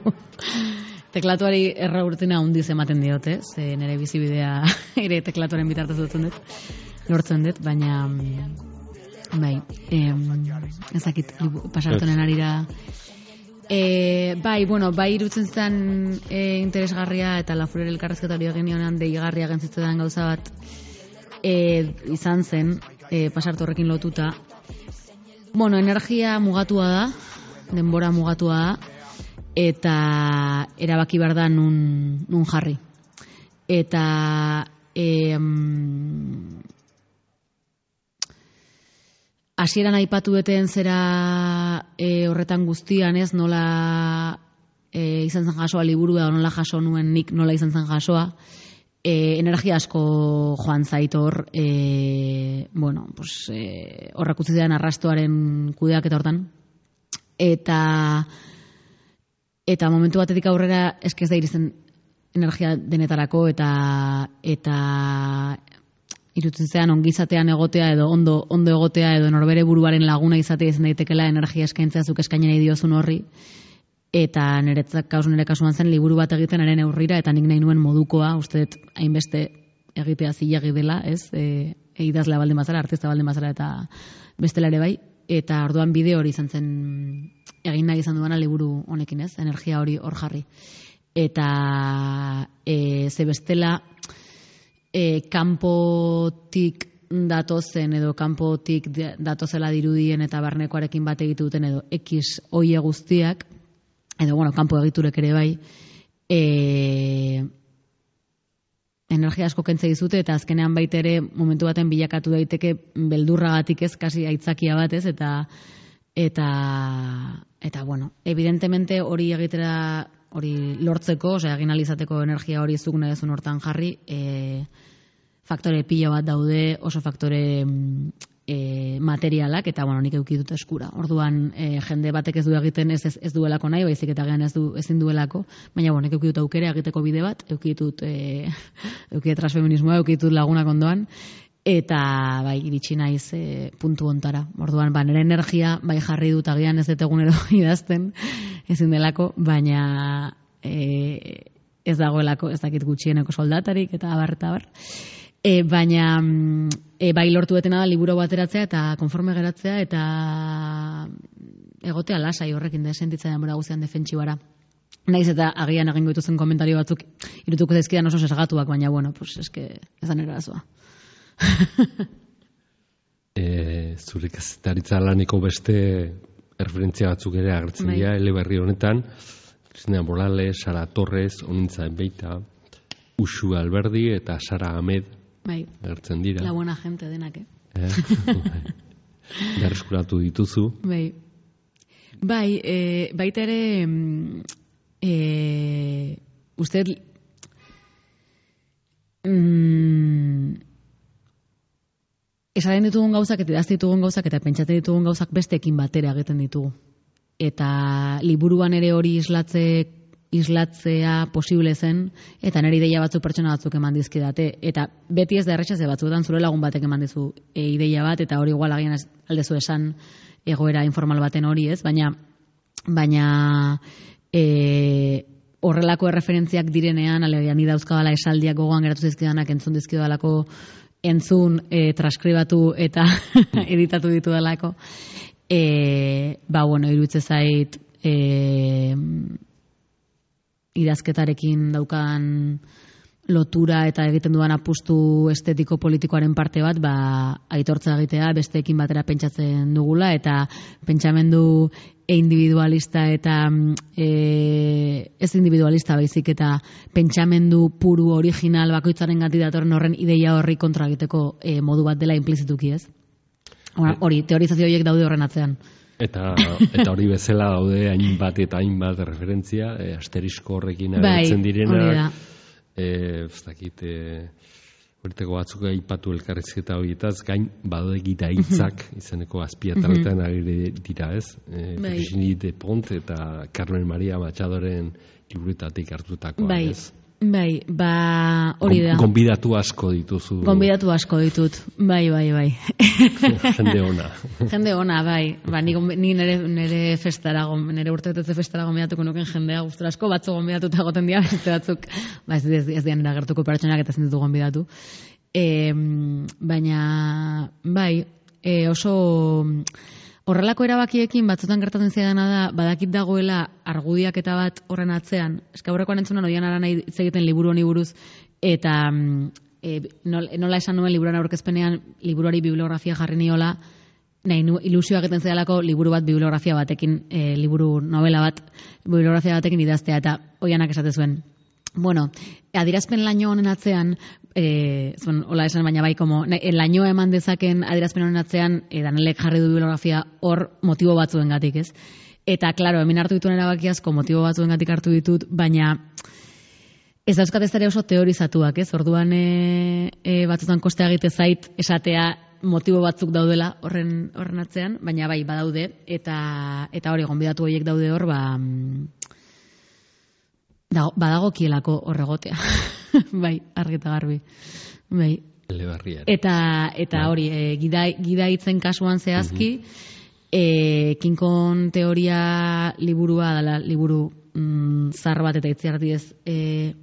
Teklatuari erra urtina hundiz ematen diote, ze nire bizibidea ere teklatuaren bitartez dutzen dut, lortzen dut, baina bai, em, ezakit pasartonen arira. E, bai, bueno, bai irutzen zen e, interesgarria eta La Furia elkarrezketa hori egin honean deigarria gentzitzen gauza bat e, izan zen, e, pasartu horrekin lotuta. Bueno, energia mugatua da, denbora mugatua da, eta erabaki behar da nun, nun jarri. Eta e, mm, hasieran aipatu deten zera e, horretan guztian ez, nola e, izan zen jasoa liburua, nola jaso nuen nik nola izan zen jasoa, e, energia asko joan zaitor, e, bueno, pues, e, horrak utzi den arrastoaren kudeak eta hortan, eta eta momentu batetik aurrera eske ez da iristen energia denetarako eta eta irutzen zean ongizatean egotea edo ondo ondo egotea edo norbere buruaren laguna izatea izan daitekela energia eskaintzea zuk eskainen nahi diozun horri. Eta niretzat kasu nire kasuan zen liburu bat egiten ere neurrira eta nik nahi nuen modukoa, uste dut hainbeste egitea zilegi dela, ez? E, idazlea baldin bazara, artista baldin bazara eta bestela ere bai. Eta orduan bide hori izan zen egin nahi izan duana liburu honekin, ez? Energia hori hor jarri. Eta e, ze bestela e, kanpotik datozen edo kanpotik datozela dirudien eta barnekoarekin bat egitu duten edo X oie guztiak, edo, bueno, kanpo egiturek ere bai, e, energia asko kentze dizute, eta azkenean baita ere momentu baten bilakatu daiteke beldurragatik ez, kasi aitzakia bat ez, eta, eta, eta bueno, evidentemente hori egitera, hori lortzeko, osea, egin alizateko energia hori zuk nahi duzun hortan jarri, e, faktore pila bat daude, oso faktore e, materialak, eta bueno, nik eduki dut eskura. Orduan, e, jende batek ez du egiten ez, ez, ez duelako nahi, baizik eta gehan ez du ezin duelako, baina bueno, nik eduki dut aukera egiteko bide bat, eduki dut e, eduki dut transfeminismoa, eduki dut lagunak ondoan, eta bai, iritsi naiz e, puntu ontara. Orduan, ba, nire energia bai jarri dut agian ez dut egunero idazten, ezin delako, baina e, ez dagoelako, ez dakit gutxieneko soldatarik, eta abar, eta abar. E, baina e, bai lortu detena da liburu bateratzea eta konforme geratzea eta egotea lasai horrekin da sentitzen denbora guztian defentsibara. Naiz eta agian egingo dituzen komentario batzuk irutuko zaizkidan oso sesgatuak, baina bueno, pues eske ez da nire arazoa. e, zure kazetaritza laneko beste referentzia batzuk ere agertzen dira eleberri honetan. Cristina Morales, Sara Torres, Onintza Enbeita, Uxu Alberdi eta Sara Ahmed bai, agertzen dira. La buena gente denak, eh? eh? Berreskuratu dituzu. Bai, bai e, baita ere e, uste mm, esaten ditugun gauzak eta idazten ditugun gauzak eta pentsatzen ditugun gauzak besteekin batera egiten ditugu. Eta liburuan ere hori islatze islatzea posible zen, eta nire ideia batzuk pertsona batzuk eman dizkidate. Eta beti ez da erretxa, ze batzuetan zure lagun batek eman dizu e, ideia bat, eta hori igual agian aldezu esan egoera informal baten hori ez, baina baina e, horrelako erreferentziak direnean, alegia ni dauzkabala esaldiak gogoan geratu zizkidanak entzun dizkidalako, entzun, e, transkribatu eta editatu ditu dalako. E, ba, bueno, irutze zait e, idazketarekin daukan lotura eta egiten duan apustu estetiko politikoaren parte bat, ba, aitortza egitea besteekin batera pentsatzen dugula, eta pentsamendu individualista eta e, ez individualista baizik eta pentsamendu puru original bakoitzaren gati datorren horren ideia horri kontra egiteko e, modu bat dela implizituki ez. Hori, teorizazio horiek daude horren atzean. Eta eta hori bezala daude hainbat eta hainbat referentzia, e, asterisko horrekin agertzen direnak. Eh, ez dakit, eh, horretako batzuk aipatu elkarrizketa horietaz, gain badaude gita hitzak izeneko azpiataletan agire dira, ez? Eh, Virginie Despont eta Carmen Maria Machadoren liburutatik hartutakoa, bai. Ez? Bai, ba, hori da. Gonbidatu asko dituzu. Gonbidatu asko ditut, bai, bai, bai. Jende ona. Jende ona, bai. Ba, ni, ni nere, nere festara, nere urtebetetze festara gonbidatuko nuken jendea gustura asko, batzu gonbidatuta egoten dira, beste batzuk, ba, ez, ez, ez dian eragertuko pertsonak eta zenditu gonbidatu. E, baina, bai, e, oso... Horrelako erabakiekin batzutan gertatzen zaidana da, badakit dagoela argudiak eta bat horren atzean. Eska aurrekoan entzunan odian ara nahi hitz egiten liburu honi buruz, eta e, nola esan nuen liburuan aurkezpenean liburuari bibliografia jarri niola, nahi nu, ilusio egiten zaidalako liburu bat bibliografia batekin, e, liburu novela bat bibliografia batekin idaztea, eta oianak esate zuen. Bueno, adierazpen laino honen atzean, eh, zuen, hola esan baina bai, como, lainoa eman dezaken adierazpen honen atzean, eh, Danelek jarri du bibliografia hor motibo batzuen gatik, ez? Eta, klaro, hemen hartu dituen erabakiazko motibo batzuen gatik hartu ditut, baina ez dauzkat ez ere oso teorizatuak, ez? Orduan e, e, batzutan kostea egite zait esatea motibo batzuk daudela horren horren atzean, baina bai badaude eta eta hori gonbidatu horiek daude hor, ba da, badagokielako horregotea. Bai, argi eta garbi. Bai. Eta eta hori, e, gida gidaitzen kasuan zehazki, mm-hmm. e, Kinkon teoria liburua dela liburu mm, zar bat eta itziardi ez e,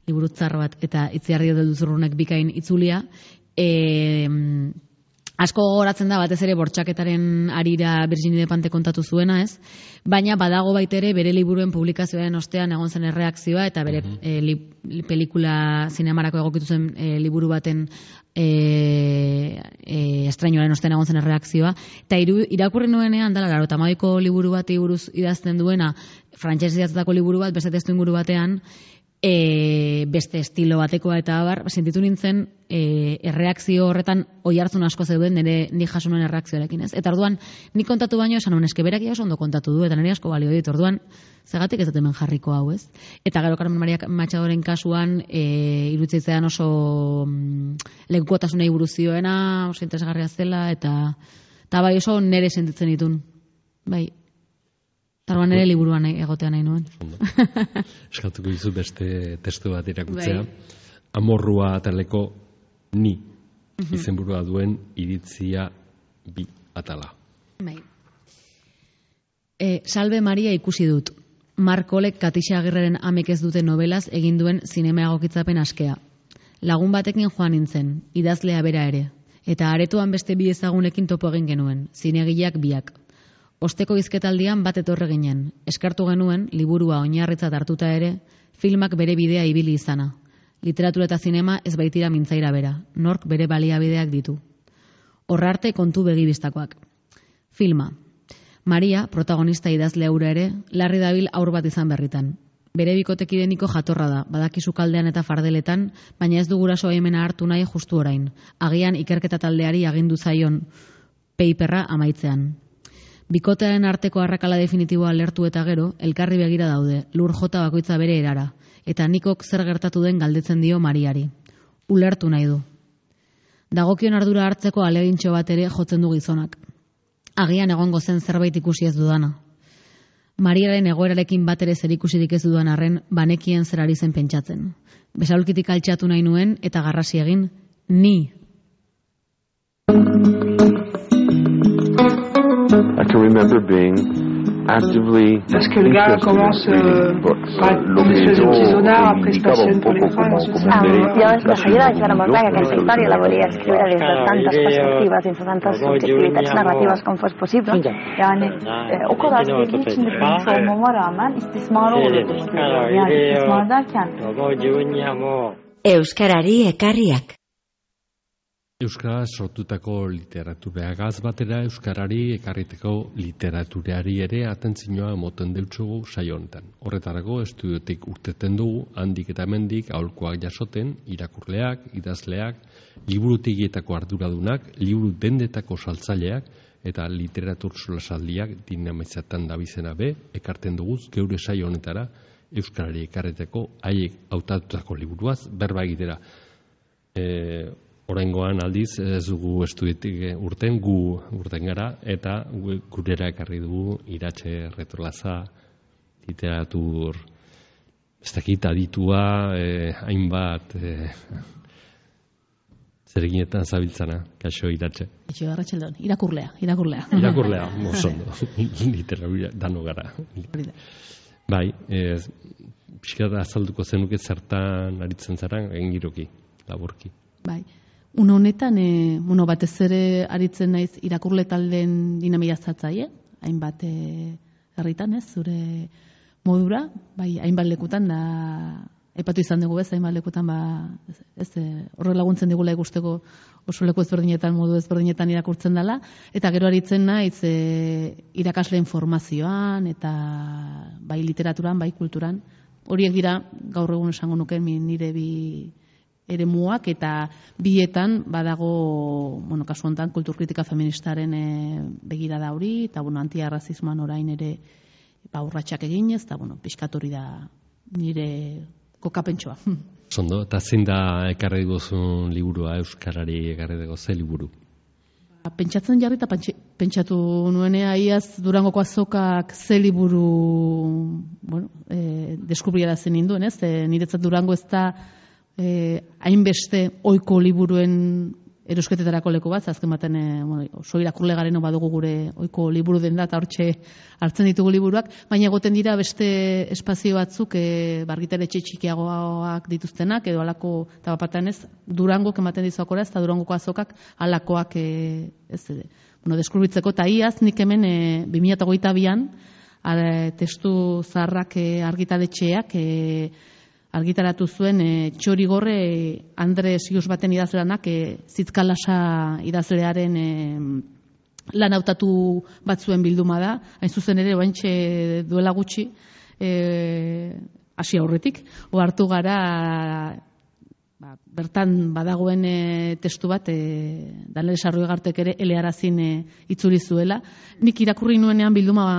liburu zar bat eta itziardi edo duzurrunek bikain itzulia. E, asko gogoratzen da batez ere bortxaketaren arira Virginie Despentes kontatu zuena, ez? Baina badago baitere bere liburuen publikazioaren ostean egon zen erreakzioa eta bere mm-hmm. e, li, pelikula zinemarako egokitu zen e, liburu baten e, e, estrainoaren ostean egon zen erreakzioa. Eta iru, irakurri nuenean, dala, garo, tamabiko liburu bati buruz idazten duena, frantses idatzatako liburu bat, beste testu inguru batean, E, beste estilo batekoa eta abar, sentitu nintzen e, erreakzio horretan oi hartzun asko zeuden nire ni jasunuen erreakzioarekin, ez? Eta orduan, ni kontatu baino esan honen eskeberak ia oso ondo kontatu du, eta nire asko balio dit, orduan, zegatik ez dut hemen jarriko hau, ez? Eta gero Carmen Maria Machadoren kasuan, e, irutzitzean oso mm, lekukotasunei buruz zioena, oso interesgarria zela, eta, eta bai oso nire sentitzen ditun, bai. Tarban ere liburuan egotea nahi nuen. Eskatuko dizu beste testu bat irakutzea. Bai. Amorrua ataleko ni uh-huh. izenburua duen iritzia bi atala. Bai. E, Salve Maria ikusi dut. Markolek Katixa Agirreren amek ez duten novelaz egin duen zinema egokitzapen askea. Lagun batekin joan nintzen, idazlea bera ere. Eta aretoan beste bi ezagunekin topo egin genuen, zinegileak biak. Osteko hizketaldian bat etorre ginen. Eskartu genuen, liburua oinarritzat hartuta ere, filmak bere bidea ibili izana. Literatura eta zinema ez baitira mintzaira bera. Nork bere baliabideak ditu. Horrarte kontu begibistakoak. Filma. Maria, protagonista idazlea hura ere, larri dabil aur bat izan berritan. Bere bikotekideniko jatorra da, badakizu kaldean eta fardeletan, baina ez du guraso hemena hartu nahi justu orain. Agian ikerketa taldeari agindu zaion paperra amaitzean. Bikotearen arteko arrakala definitiboa lertu eta gero, elkarri begira daude, lur jota bakoitza bere erara, eta nikok zer gertatu den galdetzen dio Mariari. Ulertu nahi du. Dagokion ardura hartzeko alegintxo bat ere jotzen du gizonak. Agian egongo zen zerbait ikusi ez dudana. Mariaren egoerarekin bat ere zer ikusirik ez dudan arren, banekien zer ari zen pentsatzen. Besaulkitik altxatu nahi nuen eta garrasi egin, ni. I can remember being actively Parce que le gars commence euh, par une espèce de petit sonar, après se passionne pour les femmes, ensuite ça um, jo de seguida vaig veure molt clar que aquesta història la volia escriure des de tantes perspectives, dins de tantes subjectivitats narratives com fos possible. Yani e, o kadar sevdiği için de bilmiş olmama rağmen istismarı olur düşünüyorum. Yani istismar derken Euskarari ekarriak. Euskara sortutako literaturagaz batera Euskarari ekarriteko literaturari ere atentzioa emoten deutsugu saio honetan. Horretarako estudiotik urteten dugu, handik eta hemendik aholkuak jasoten, irakurleak, idazleak, liburutegietako arduradunak, liburu dendetako saltzaileak eta literatur solasaldiak dinamitzatan dabizena be, ekarten duguz geure saio honetara Euskarari ekarriteko haiek hautatutako liburuaz berba egitera. E, Oraingoan aldiz ez dugu estudiotik urten gu urten gara eta gurera ekarri dugu Iratxe Retrolaza, literatur ez dakit aditua, eh, hainbat eh, zereginetan zabiltzana, kaixo Iratxe. Kaixo Arratsaldeon, irakurlea, irakurlea. Irakurlea, osondo, literatura dano gara. Bai, eh, pixka da azalduko zenuke zertan aritzen zara, engiroki, laburki. Bai. Une honetan, e, bueno, batez ere aritzen naiz irakurle taldeen dinamia zatzaile, hainbat e, herritan, ez, zure modura, bai, hainbat lekutan da, aipatu izan dugu ez, hainbat lekutan, ba, ez, ez horre laguntzen digula ikusteko oso leku ezberdinetan, modu ezberdinetan irakurtzen dela, eta gero aritzen naiz e, irakasleen formazioan, eta bai literaturan, bai kulturan, horiek dira gaur egun esango nuken nire bi eremuak eta bietan badago, bueno, kasu honetan kulturkritika feministaren e, begirada hori eta bueno, antiarrazismoan orain ere ba urratsak eginez eta bueno, pixkat hori da nire kokapentsoa. Sondo, eta zein da ekarri duzun liburua Euskarari ekarri dugu ze liburu? pentsatzen jarri eta pentsatu nuenea iaz Durangoko azokak ze liburu bueno, e, deskubriarazen ninduen, ez? E, niretzat Durango ez da e, hainbeste ohiko liburuen erosketetarako leku bat, azken baten e, bueno, oso irakurle gareno badugu gure ohiko liburu den da, eta hortxe hartzen ditugu liburuak, baina egoten dira beste espazio batzuk e, bargitaletxe txikiagoak dituztenak, edo alako, eta bapatan ez, Durangok ematen dizuakora, ez da Durangoko azokak alakoak e, ez, e, bueno, deskubritzeko, eta iaz nik hemen e, bi mila hogeita bian testu zaharrak e, argitaletxeak e, argitaratu zuen e, Txorigorre e, Andres Ius baten idazlanak e, Zitzkalasa idazlearen e, lan hautatu batzuen bilduma da, hain zuzen ere oaintxe duela gutxi e, hasi aurretik, ohartu gara ba, bertan badagoen e, testu bat e, Daniel Sarruegartek ere elearazin e, itzuli zuela. Nik irakurri nuenean bilduma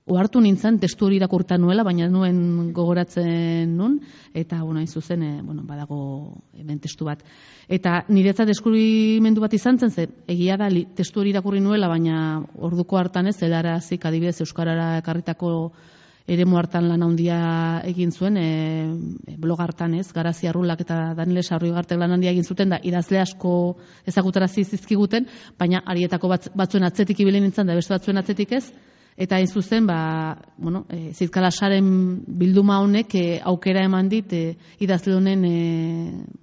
ohartu nintzen, testu hori irakurta nuela, baina nuen gogoratzen nun, eta, bueno, hain zuzen, e, bueno, badago hemen testu bat. Eta niretzat deskubrimendu bat izan zen, ze, egia da, li, testu hori irakurri nuela, baina orduko hartan ez, helarazik adibidez Euskarara ekarritako eremu hartan lan handia egin zuen, e, blog hartan ez, Garazi Arrulak eta Daniel Sarruegartek lan handia egin zuten, da idazle asko ezagutarazi zizkiguten, baina arietako bat, batzuen atzetik ibili nintzen, da beste batzuen atzetik ez, eta hain zuzen, ba, bueno, e, Zitzkalasaren bilduma honek e, aukera eman dit e, idazle honen e,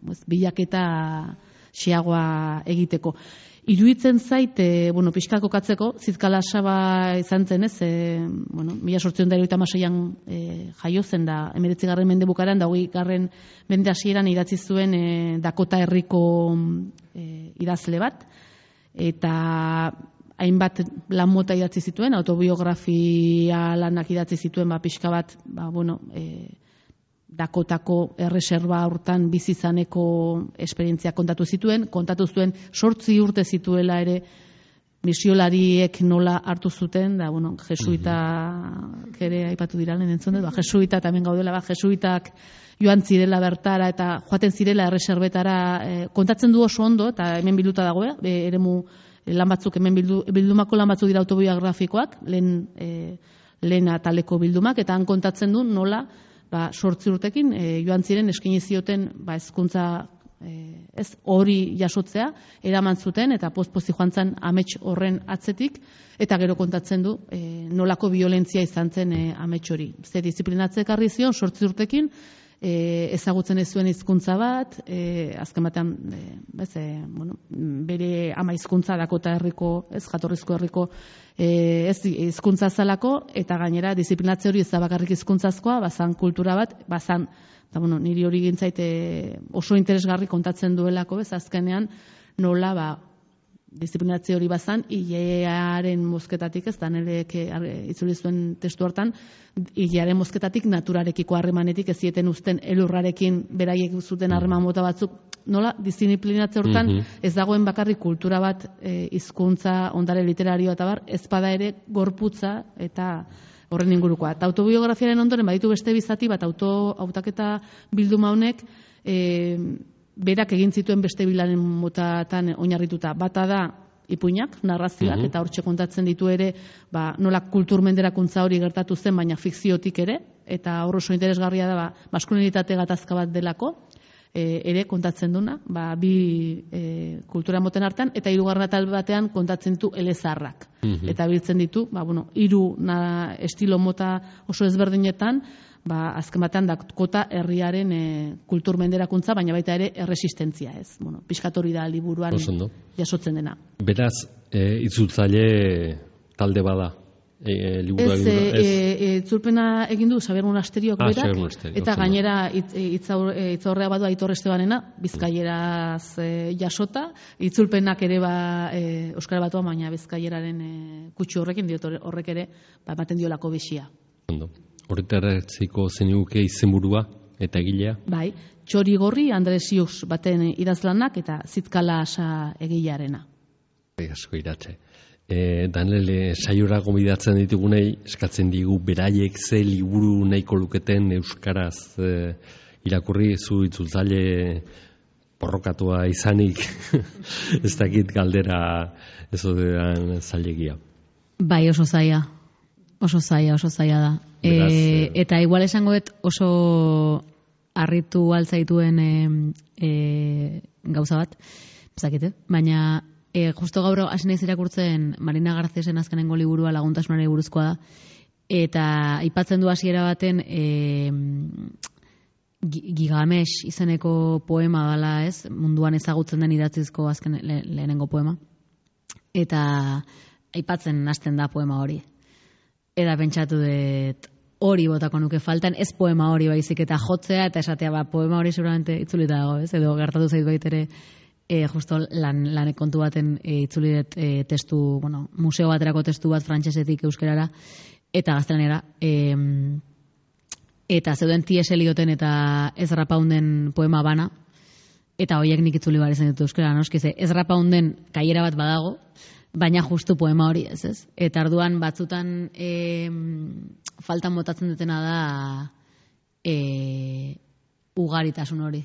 pues, bilaketa xeagoa egiteko. Iruditzen zait, e, bueno, pixka kokatzeko, Zitzkalasa ba izan zen ez, e, bueno, mila sortziehun eta hirurogeita hamaseian e, jaio zen da, hemeretzigarren mende bukaran, da hogeigarren mende hasieran idatzi zuen e, Dakota herriko e, idazle bat, eta hainbat lan mota idatzi zituen, autobiografia lanak idatzi zituen, ba, pixka bat, ba, bueno, e, Dakotako erreserba hortan bizizaneko esperientzia kontatu zituen, kontatu zuen sortzi urte zituela ere misiolariek nola hartu zuten, da, bueno, jesuita ere aipatu dira, lehen entzun dut, ba, jesuita hemen gaudela, ba, jesuitak joan zirela bertara eta joaten zirela erreserbetara, e, kontatzen du oso ondo, eta hemen bilduta dago, e, eremu lan batzuk, hemen bildu, bildumako lan batzuk dira autobiografikoak, lehen, e, lehen ataleko bildumak, eta han kontatzen du nola, ba, sortzi urtekin, e, joan ziren eskaini zioten ba, hezkuntza e, ez hori jasotzea, eraman zuten, eta poz-pozi joan zen amets horren atzetik, eta gero kontatzen du e, nolako violentzia izan zen e, amets hori. Ze disiplinatze ekarri zion, sortzi urtekin, E, ezagutzen ez zuen hizkuntza bat, e, azken batean e, bez, e, bueno, bere ama hizkuntza Dakota herriko, ez jatorrizko herriko e, ez hizkuntza zalako, eta gainera disiplinatze hori ez da bakarrik hizkuntzazkoa, bazan kultura bat, bazan, eta bueno, niri hori gintzait e, oso interesgarri kontatzen duelako, ez azkenean nola ba disiplinatze hori bazan, hilearen mozketatik, ez da nerek itzuli zuen testu hortan, hilearen mozketatik naturarekiko harremanetik ez zieten uzten elurrarekin beraiek zuten harreman mota batzuk, nola disiplinatze hortan mm -hmm. ez dagoen bakarrik kultura bat, e, hizkuntza, ondare literarioa eta bar, ez bada ere gorputza eta horren ingurukoa. Eta autobiografiaren ondoren baditu beste bizati bat auto hautaketa bilduma honek, e, berak egin zituen beste bilanen motatan oinarrituta. Bata da ipuinak, narrazioak, mm -hmm. eta hortxe kontatzen ditu ere, ba, nola kulturmenderakuntza hori gertatu zen, baina fikziotik ere, eta hor oso interesgarria da, ba, maskulinitate gatazka bat delako, e, ere kontatzen duna, ba, bi e, kultura moten hartan, eta hirugarren atal batean kontatzen ditu elezarrak. Mm -hmm. Eta biltzen ditu, ba, bueno, hiru na, estilo mota oso ezberdinetan, ba, azken batean Dakota herriaren e, kulturmenderakuntza, baina baita ere erresistentzia, ez. Bueno, pixkatori da liburuan jasotzen dena. Beraz, e, itzultzaile talde bada, e, liburua egin du, ez? E, itzulpena egin du Xabier Monasteriok ah, berak, Monasterio, eta gainera itzaurrea badu Aitor Estebanena, bizkaieraz e, jasota, itzulpenak ere ba, e, Euskara Batuan, baina bizkaieraren e, kutsu horrekin, diot horrek ere, ba, ematen diolako bixia. Ondo. Horretaratziko zenuke izenburua eta egilea? Bai, Txorigorri Andresius baten idazlanak eta Zitzkalasa egilearena. Asko iratxe. E, Daniel, saiora gomidatzen ditugunei, eskatzen digu beraiek ze liburu nahiko luketen euskaraz e, irakurri, zu itzultzaile borrokatua izanik ez dakit galdera ez odean zailegia. Bai, oso zaila. Oso zaila, oso zaila da. Beraz, e, eta igual esango dut oso harritu altzaituen e, e, gauza bat, zakite, baina e, justo gaur hasi naiz irakurtzen Marina Garcesen azkenengo liburua Laguntasunari buruzkoa da, eta aipatzen du hasiera baten e, Gigamesh izeneko poema dela, ez? Munduan ezagutzen den idatzizko azken le, lehenengo poema. Eta aipatzen hasten da poema hori. Eta pentsatu dut hori botako nuke faltan, ez poema hori baizik eta jotzea eta esatea ba, poema hori seguramente itzulita dago, ez? Edo gertatu zait baitere e, justo lan, lanek kontu baten e, itzuli dut e, testu, bueno, museo baterako testu bat frantsesetik euskerara eta gaztelanera. E, eta zeuden T S Elioten eta Ezra Pounden poema bana, eta horiek nik itzuli bar izan dut euskera, noski ze Ezra Pounden kaiera bat badago, baina justu poema hori ez, ez? Eta arduan batzutan e, faltan botatzen dutena da e, ugaritasun hori.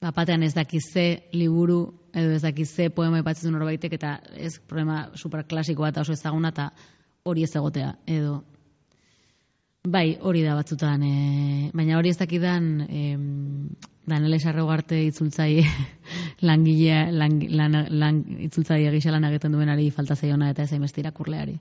Bapatean ez dakize liburu edo ez dakize poema ipatzen norbaitek eta ez problema superklasikoa eta oso ezaguna eta hori ez egotea edo bai, hori da batzutan, e, baina hori ez dakidan e, Daniel Sarrogarte itzultzaile langilea lang, lan, lan, itzultzaile gisa lan egiten duenari falta zaiona eta ez hainbeste irakurleari.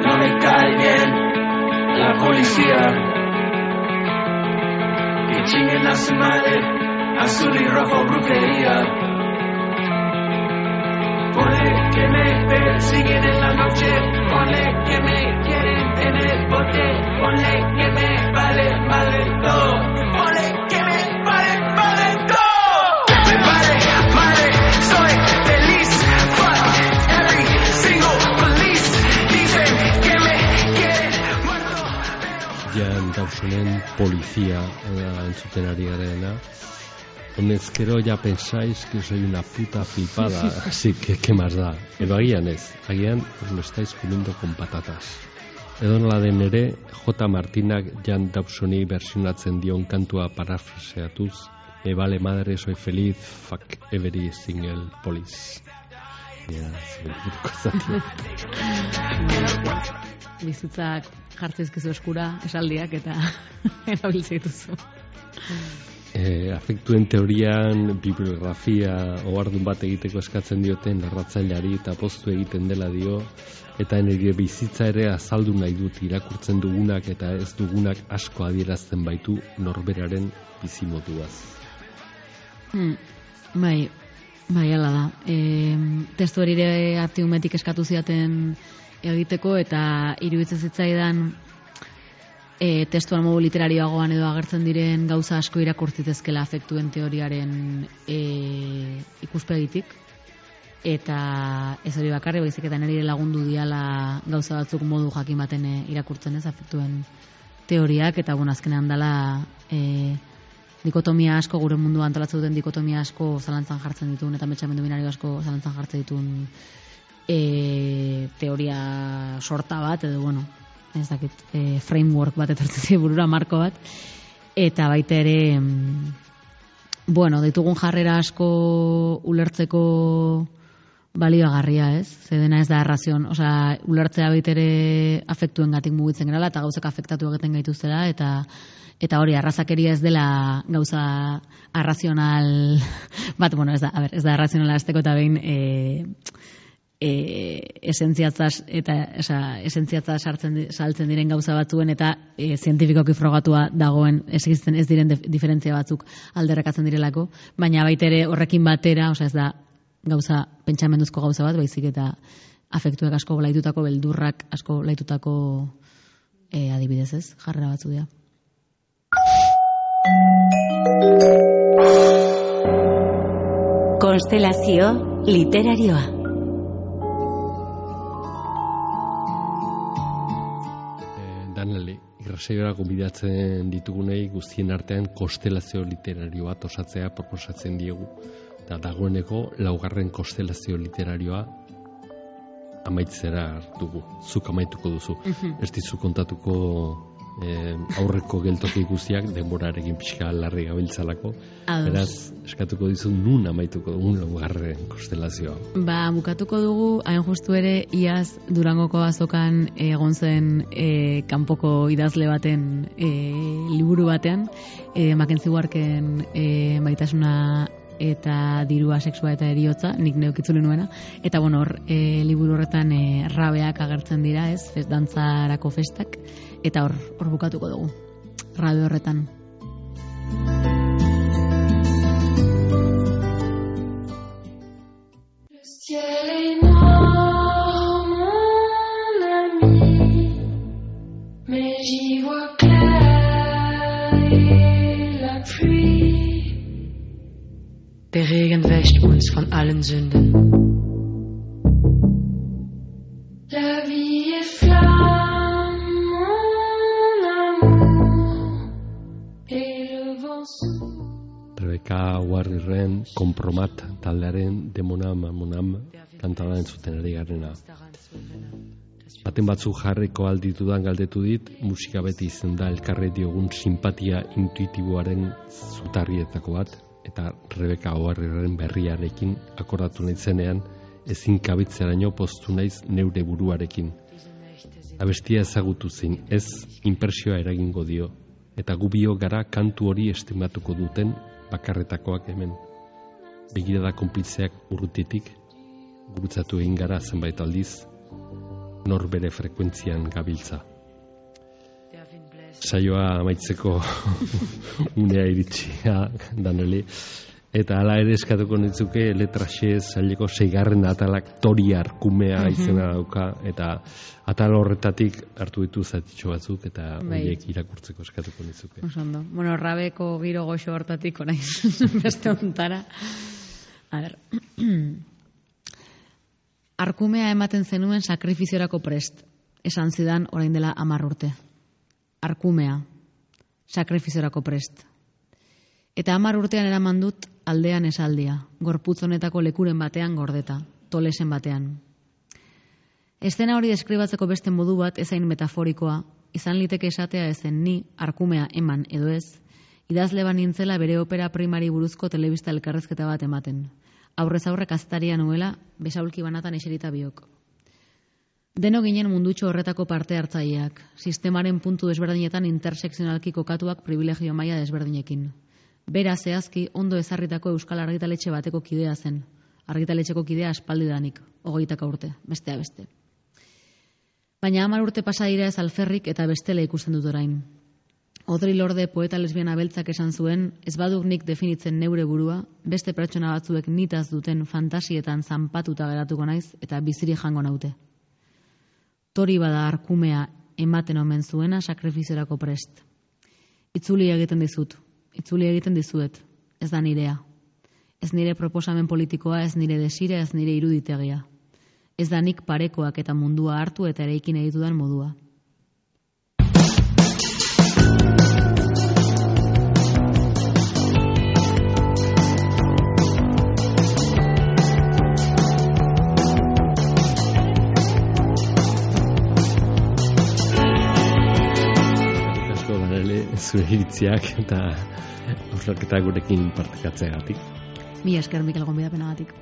No me cae bien la policía, que chinguen a su madre, azul y rojo brujería. Ponle que me persiguen en la noche, ponle que me quieren en el bote, ponle que me vale madre todo, ponle que me vale madre todo. Me vale madre, soy feliz, fuck every single police, dicen que me quieren muerto. Jan Dawsonen Polizia da entzuten ari garena. Honezkero ya pensáis que soy una puta flipada, así que ¿qué más da? Edo agian ez, agian os lo estáis comiendo con patatas. Edo nola den ere, J. Martinak Jan Dawsoni versionatzen dion kantua parafraseatuz, me vale madre, soy feliz, fuck every single police. Ja, bizitzak jartzeizkizu eskura esaldiak eta erabiltzen dituzu. E, afektuen teorian bibliografia ohardun bat egiteko eskatzen dioten narratzaileari eta poztu egiten dela dio, eta nire bizitza ere azaldu nahi dut irakurtzen dugunak eta ez dugunak asko adierazten baitu norberaren bizimoduaz. Hmm, bai, bai, ala da. E, testu hori ere artiumetik eskatu ziaten egiteko eta iruditzen zitzaidan e, testuan modu literarioagoan edo agertzen diren gauza asko irakurtzitezkela afektuen teoriaren e, ikuspegitik. Eta ez hori bakarri, baizik eta nire lagundu diala gauza batzuk modu jakin baten e, irakurtzen ez afektuen teoriak, eta bueno, azkenean dela e, dikotomia asko, gure munduan antolatzen duten dikotomia asko zalantzan jartzen ditun, eta metxamendu binario asko zalantzan jartzen ditun e, teoria sorta bat, edo bueno, ez dakit, e, framework bat etortzen burura, marko bat, eta baita ere, bueno, ditugun jarrera asko ulertzeko balioagarria, ez? Zedena ez da arrazion, osea, ulertzea baitere afektuen gatik mugitzen gerala, eta gauzak afektatu egiten gaituztela, eta eta hori, arrazakeria ez dela gauza arrazional bat, bueno, ez da, a ber, ez da arrazionala azteko eta behin e, e, esentziatzaz eta esa, esentziatzaz sartzen, saltzen diren gauza batzuen eta e, zientifikoki frogatua dagoen existen ez diren diferentzia batzuk alderrekatzen direlako, baina baitere horrekin batera, osea ez da gauza, pentsamenduzko gauza bat, baizik eta afektuek asko laitutako, beldurrak asko laitutako e, adibidez ez, jarrera batzu dira. Konstelazio literarioa. Eh, Daneli, irrasaiora gonbidatzen ditugunei guztien artean konstelazio literario bat osatzea proposatzen diegu. Eta dagoeneko laugarren konstelazio literarioa amaitzera dugu, zuk amaituko duzu. Uh-huh. Ez dizu kontatuko eh, aurreko geltoki guztiak denborarekin pixka larri gabiltzalako. Beraz, eskatuko dizu nun amaituko dugun laugarren konstelazioa. Ba, bukatuko dugu, hain justu ere, iaz Durangoko azokan egon zen e, kanpoko idazle baten e, liburu batean, e, Mackenzie Warken e, maitasuna eta dirua, sexua eta eriotza, nik neukitzule nuena, eta bueno, hor, e, liburu horretan e, rabeak agertzen dira, ez, fest, dantzarako festak, eta hor, hor bukatuko dugu, rabe horretan. Der Regen wäscht uns von allen Sünden. La vie est flamme, mon amour, et le vent souffle. Rebeka Uharrirren Konpromat taldearen Demonam Monam kantada entzuten ari garena. Baten batzuk jarriko alditudan galdetu dit, musika beti izen da elkarre diogun simpatia intuitiboaren zutarrietako bat, eta Rebeka Uharrirren berriarekin akordatu nahizenean ezin kabitzeraino poztu naiz neure buruarekin. Abestia ezagutu zein, ez inpresioa eragingo dio, eta gu bio gara kantu hori estimatuko duten bakarretakoak hemen. Begirada konpiltzeak urrutitik, gurutzatu egin gara zenbait aldiz, nor bere frekuentzian gabiltza. Saioa amaitzeko unea iritsia daneli, eta hala ere eskatuko nitzuke letraxe zaileko seigarren atalak Tori Arkumea izena dauka, eta atal horretatik hartu ditu zatitxo batzuk, eta horiek irakurtzeko eskatuko nitzuke. Osondo. Bueno, rabeko giro goxo hortatik orain beste ontara. A ber. Arkumea ematen zenuen sakrifiziorako prest, esan zidan orain dela hamar urte. Arkumea, sakrifiziorako prest. Eta hamar urtean eraman dut aldean esaldia, gorputz honetako lekuren batean gordeta, tolesen batean. Eszena hori deskribatzeko beste modu bat ezain metaforikoa, izan liteke esatea ezen ni, arkumea eman edo ez, idazle banintzela bere opera primari buruzko telebista elkarrezketa bat ematen. Aurrez aurre kastaria nuela, besaulki banatan eserita biok. Deno ginen mundutxo horretako parte hartzaileak, sistemaren puntu desberdinetan intersekzionalki kokatuak privilegio maila desberdinekin. Bera zehazki ondo ezarritako euskal argitaletxe bateko kidea zen. Argitaletxeko kidea aspaldidanik, hogeitaka urte, bestea beste. Baina hamar urte pasa dira ez alferrik eta bestela ikusten dut orain. Audre Lorde poeta lesbiana beltzak esan zuen, ez baduk nik definitzen neure burua, beste pertsona batzuek nitaz duten fantasietan zanpatuta geratuko naiz eta biziri jango naute. Tori bada arkumea ematen omen zuena sakrifiziorako prest. Itzuli egiten dizut, itzuli egiten dizuet, ez da nirea. Ez nire proposamen politikoa, ez nire desire, ez nire iruditegia. Ez da nik parekoak eta mundua hartu eta eraikin egitudan modua. Zure iritziak eta hausnarketa gurekin partekatzeagatik. Mi esker Mikel gonbidapenagatik.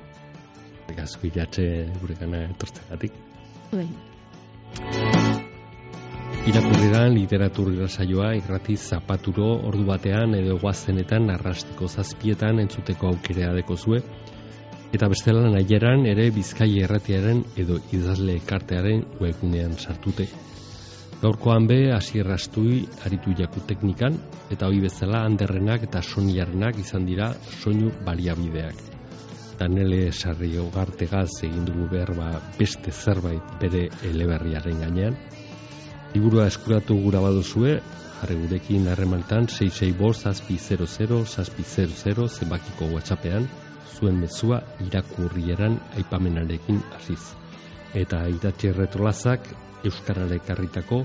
Asko iratxe gurekana etortzeagatik. Bai. Irakurriran literaturra saioa irrati zapaturo ordu batean edo guazenetan arrastiko zazpietan entzuteko aukera dekozue. Eta bestela nahieran ere Bizkai Irratiaren edo idazle elkartearen webgunean sartute. Gaurkoan be, Asier Astui aritu jaku teknikan, eta hori bezala Anderrenak eta Soniarenak izan dira soinu baliabideak. Danele Sarri Ogartegaz egin dugu behar ba beste zerbait bere eleberriaren gainean. Liburua eskuratu gura baduzue, jarri gurekin harremantan sei sei bost zazpi zero zero zazpi zero zero zenbakiko WhatsAppean, zuen mezua irakurrieran aipamenarekin hasiz. Eta idatzi retrolazak Euskarara ekarritako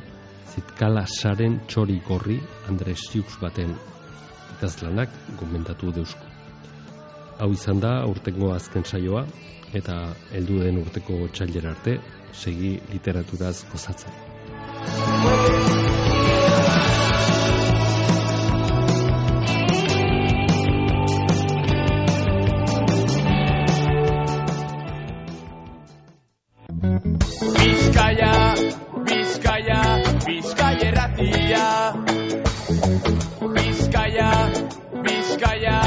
Zitkala saren txori gorri Andres Siux baten idazlanak gomentatu deusku. Hau izan da urtengo azken saioa, eta heldu den urteko otsailera arte segi literaturaz gozatzen. Bizkaia, Bizkaia, Bizkaia erratia. Bizkaia, Bizkaia,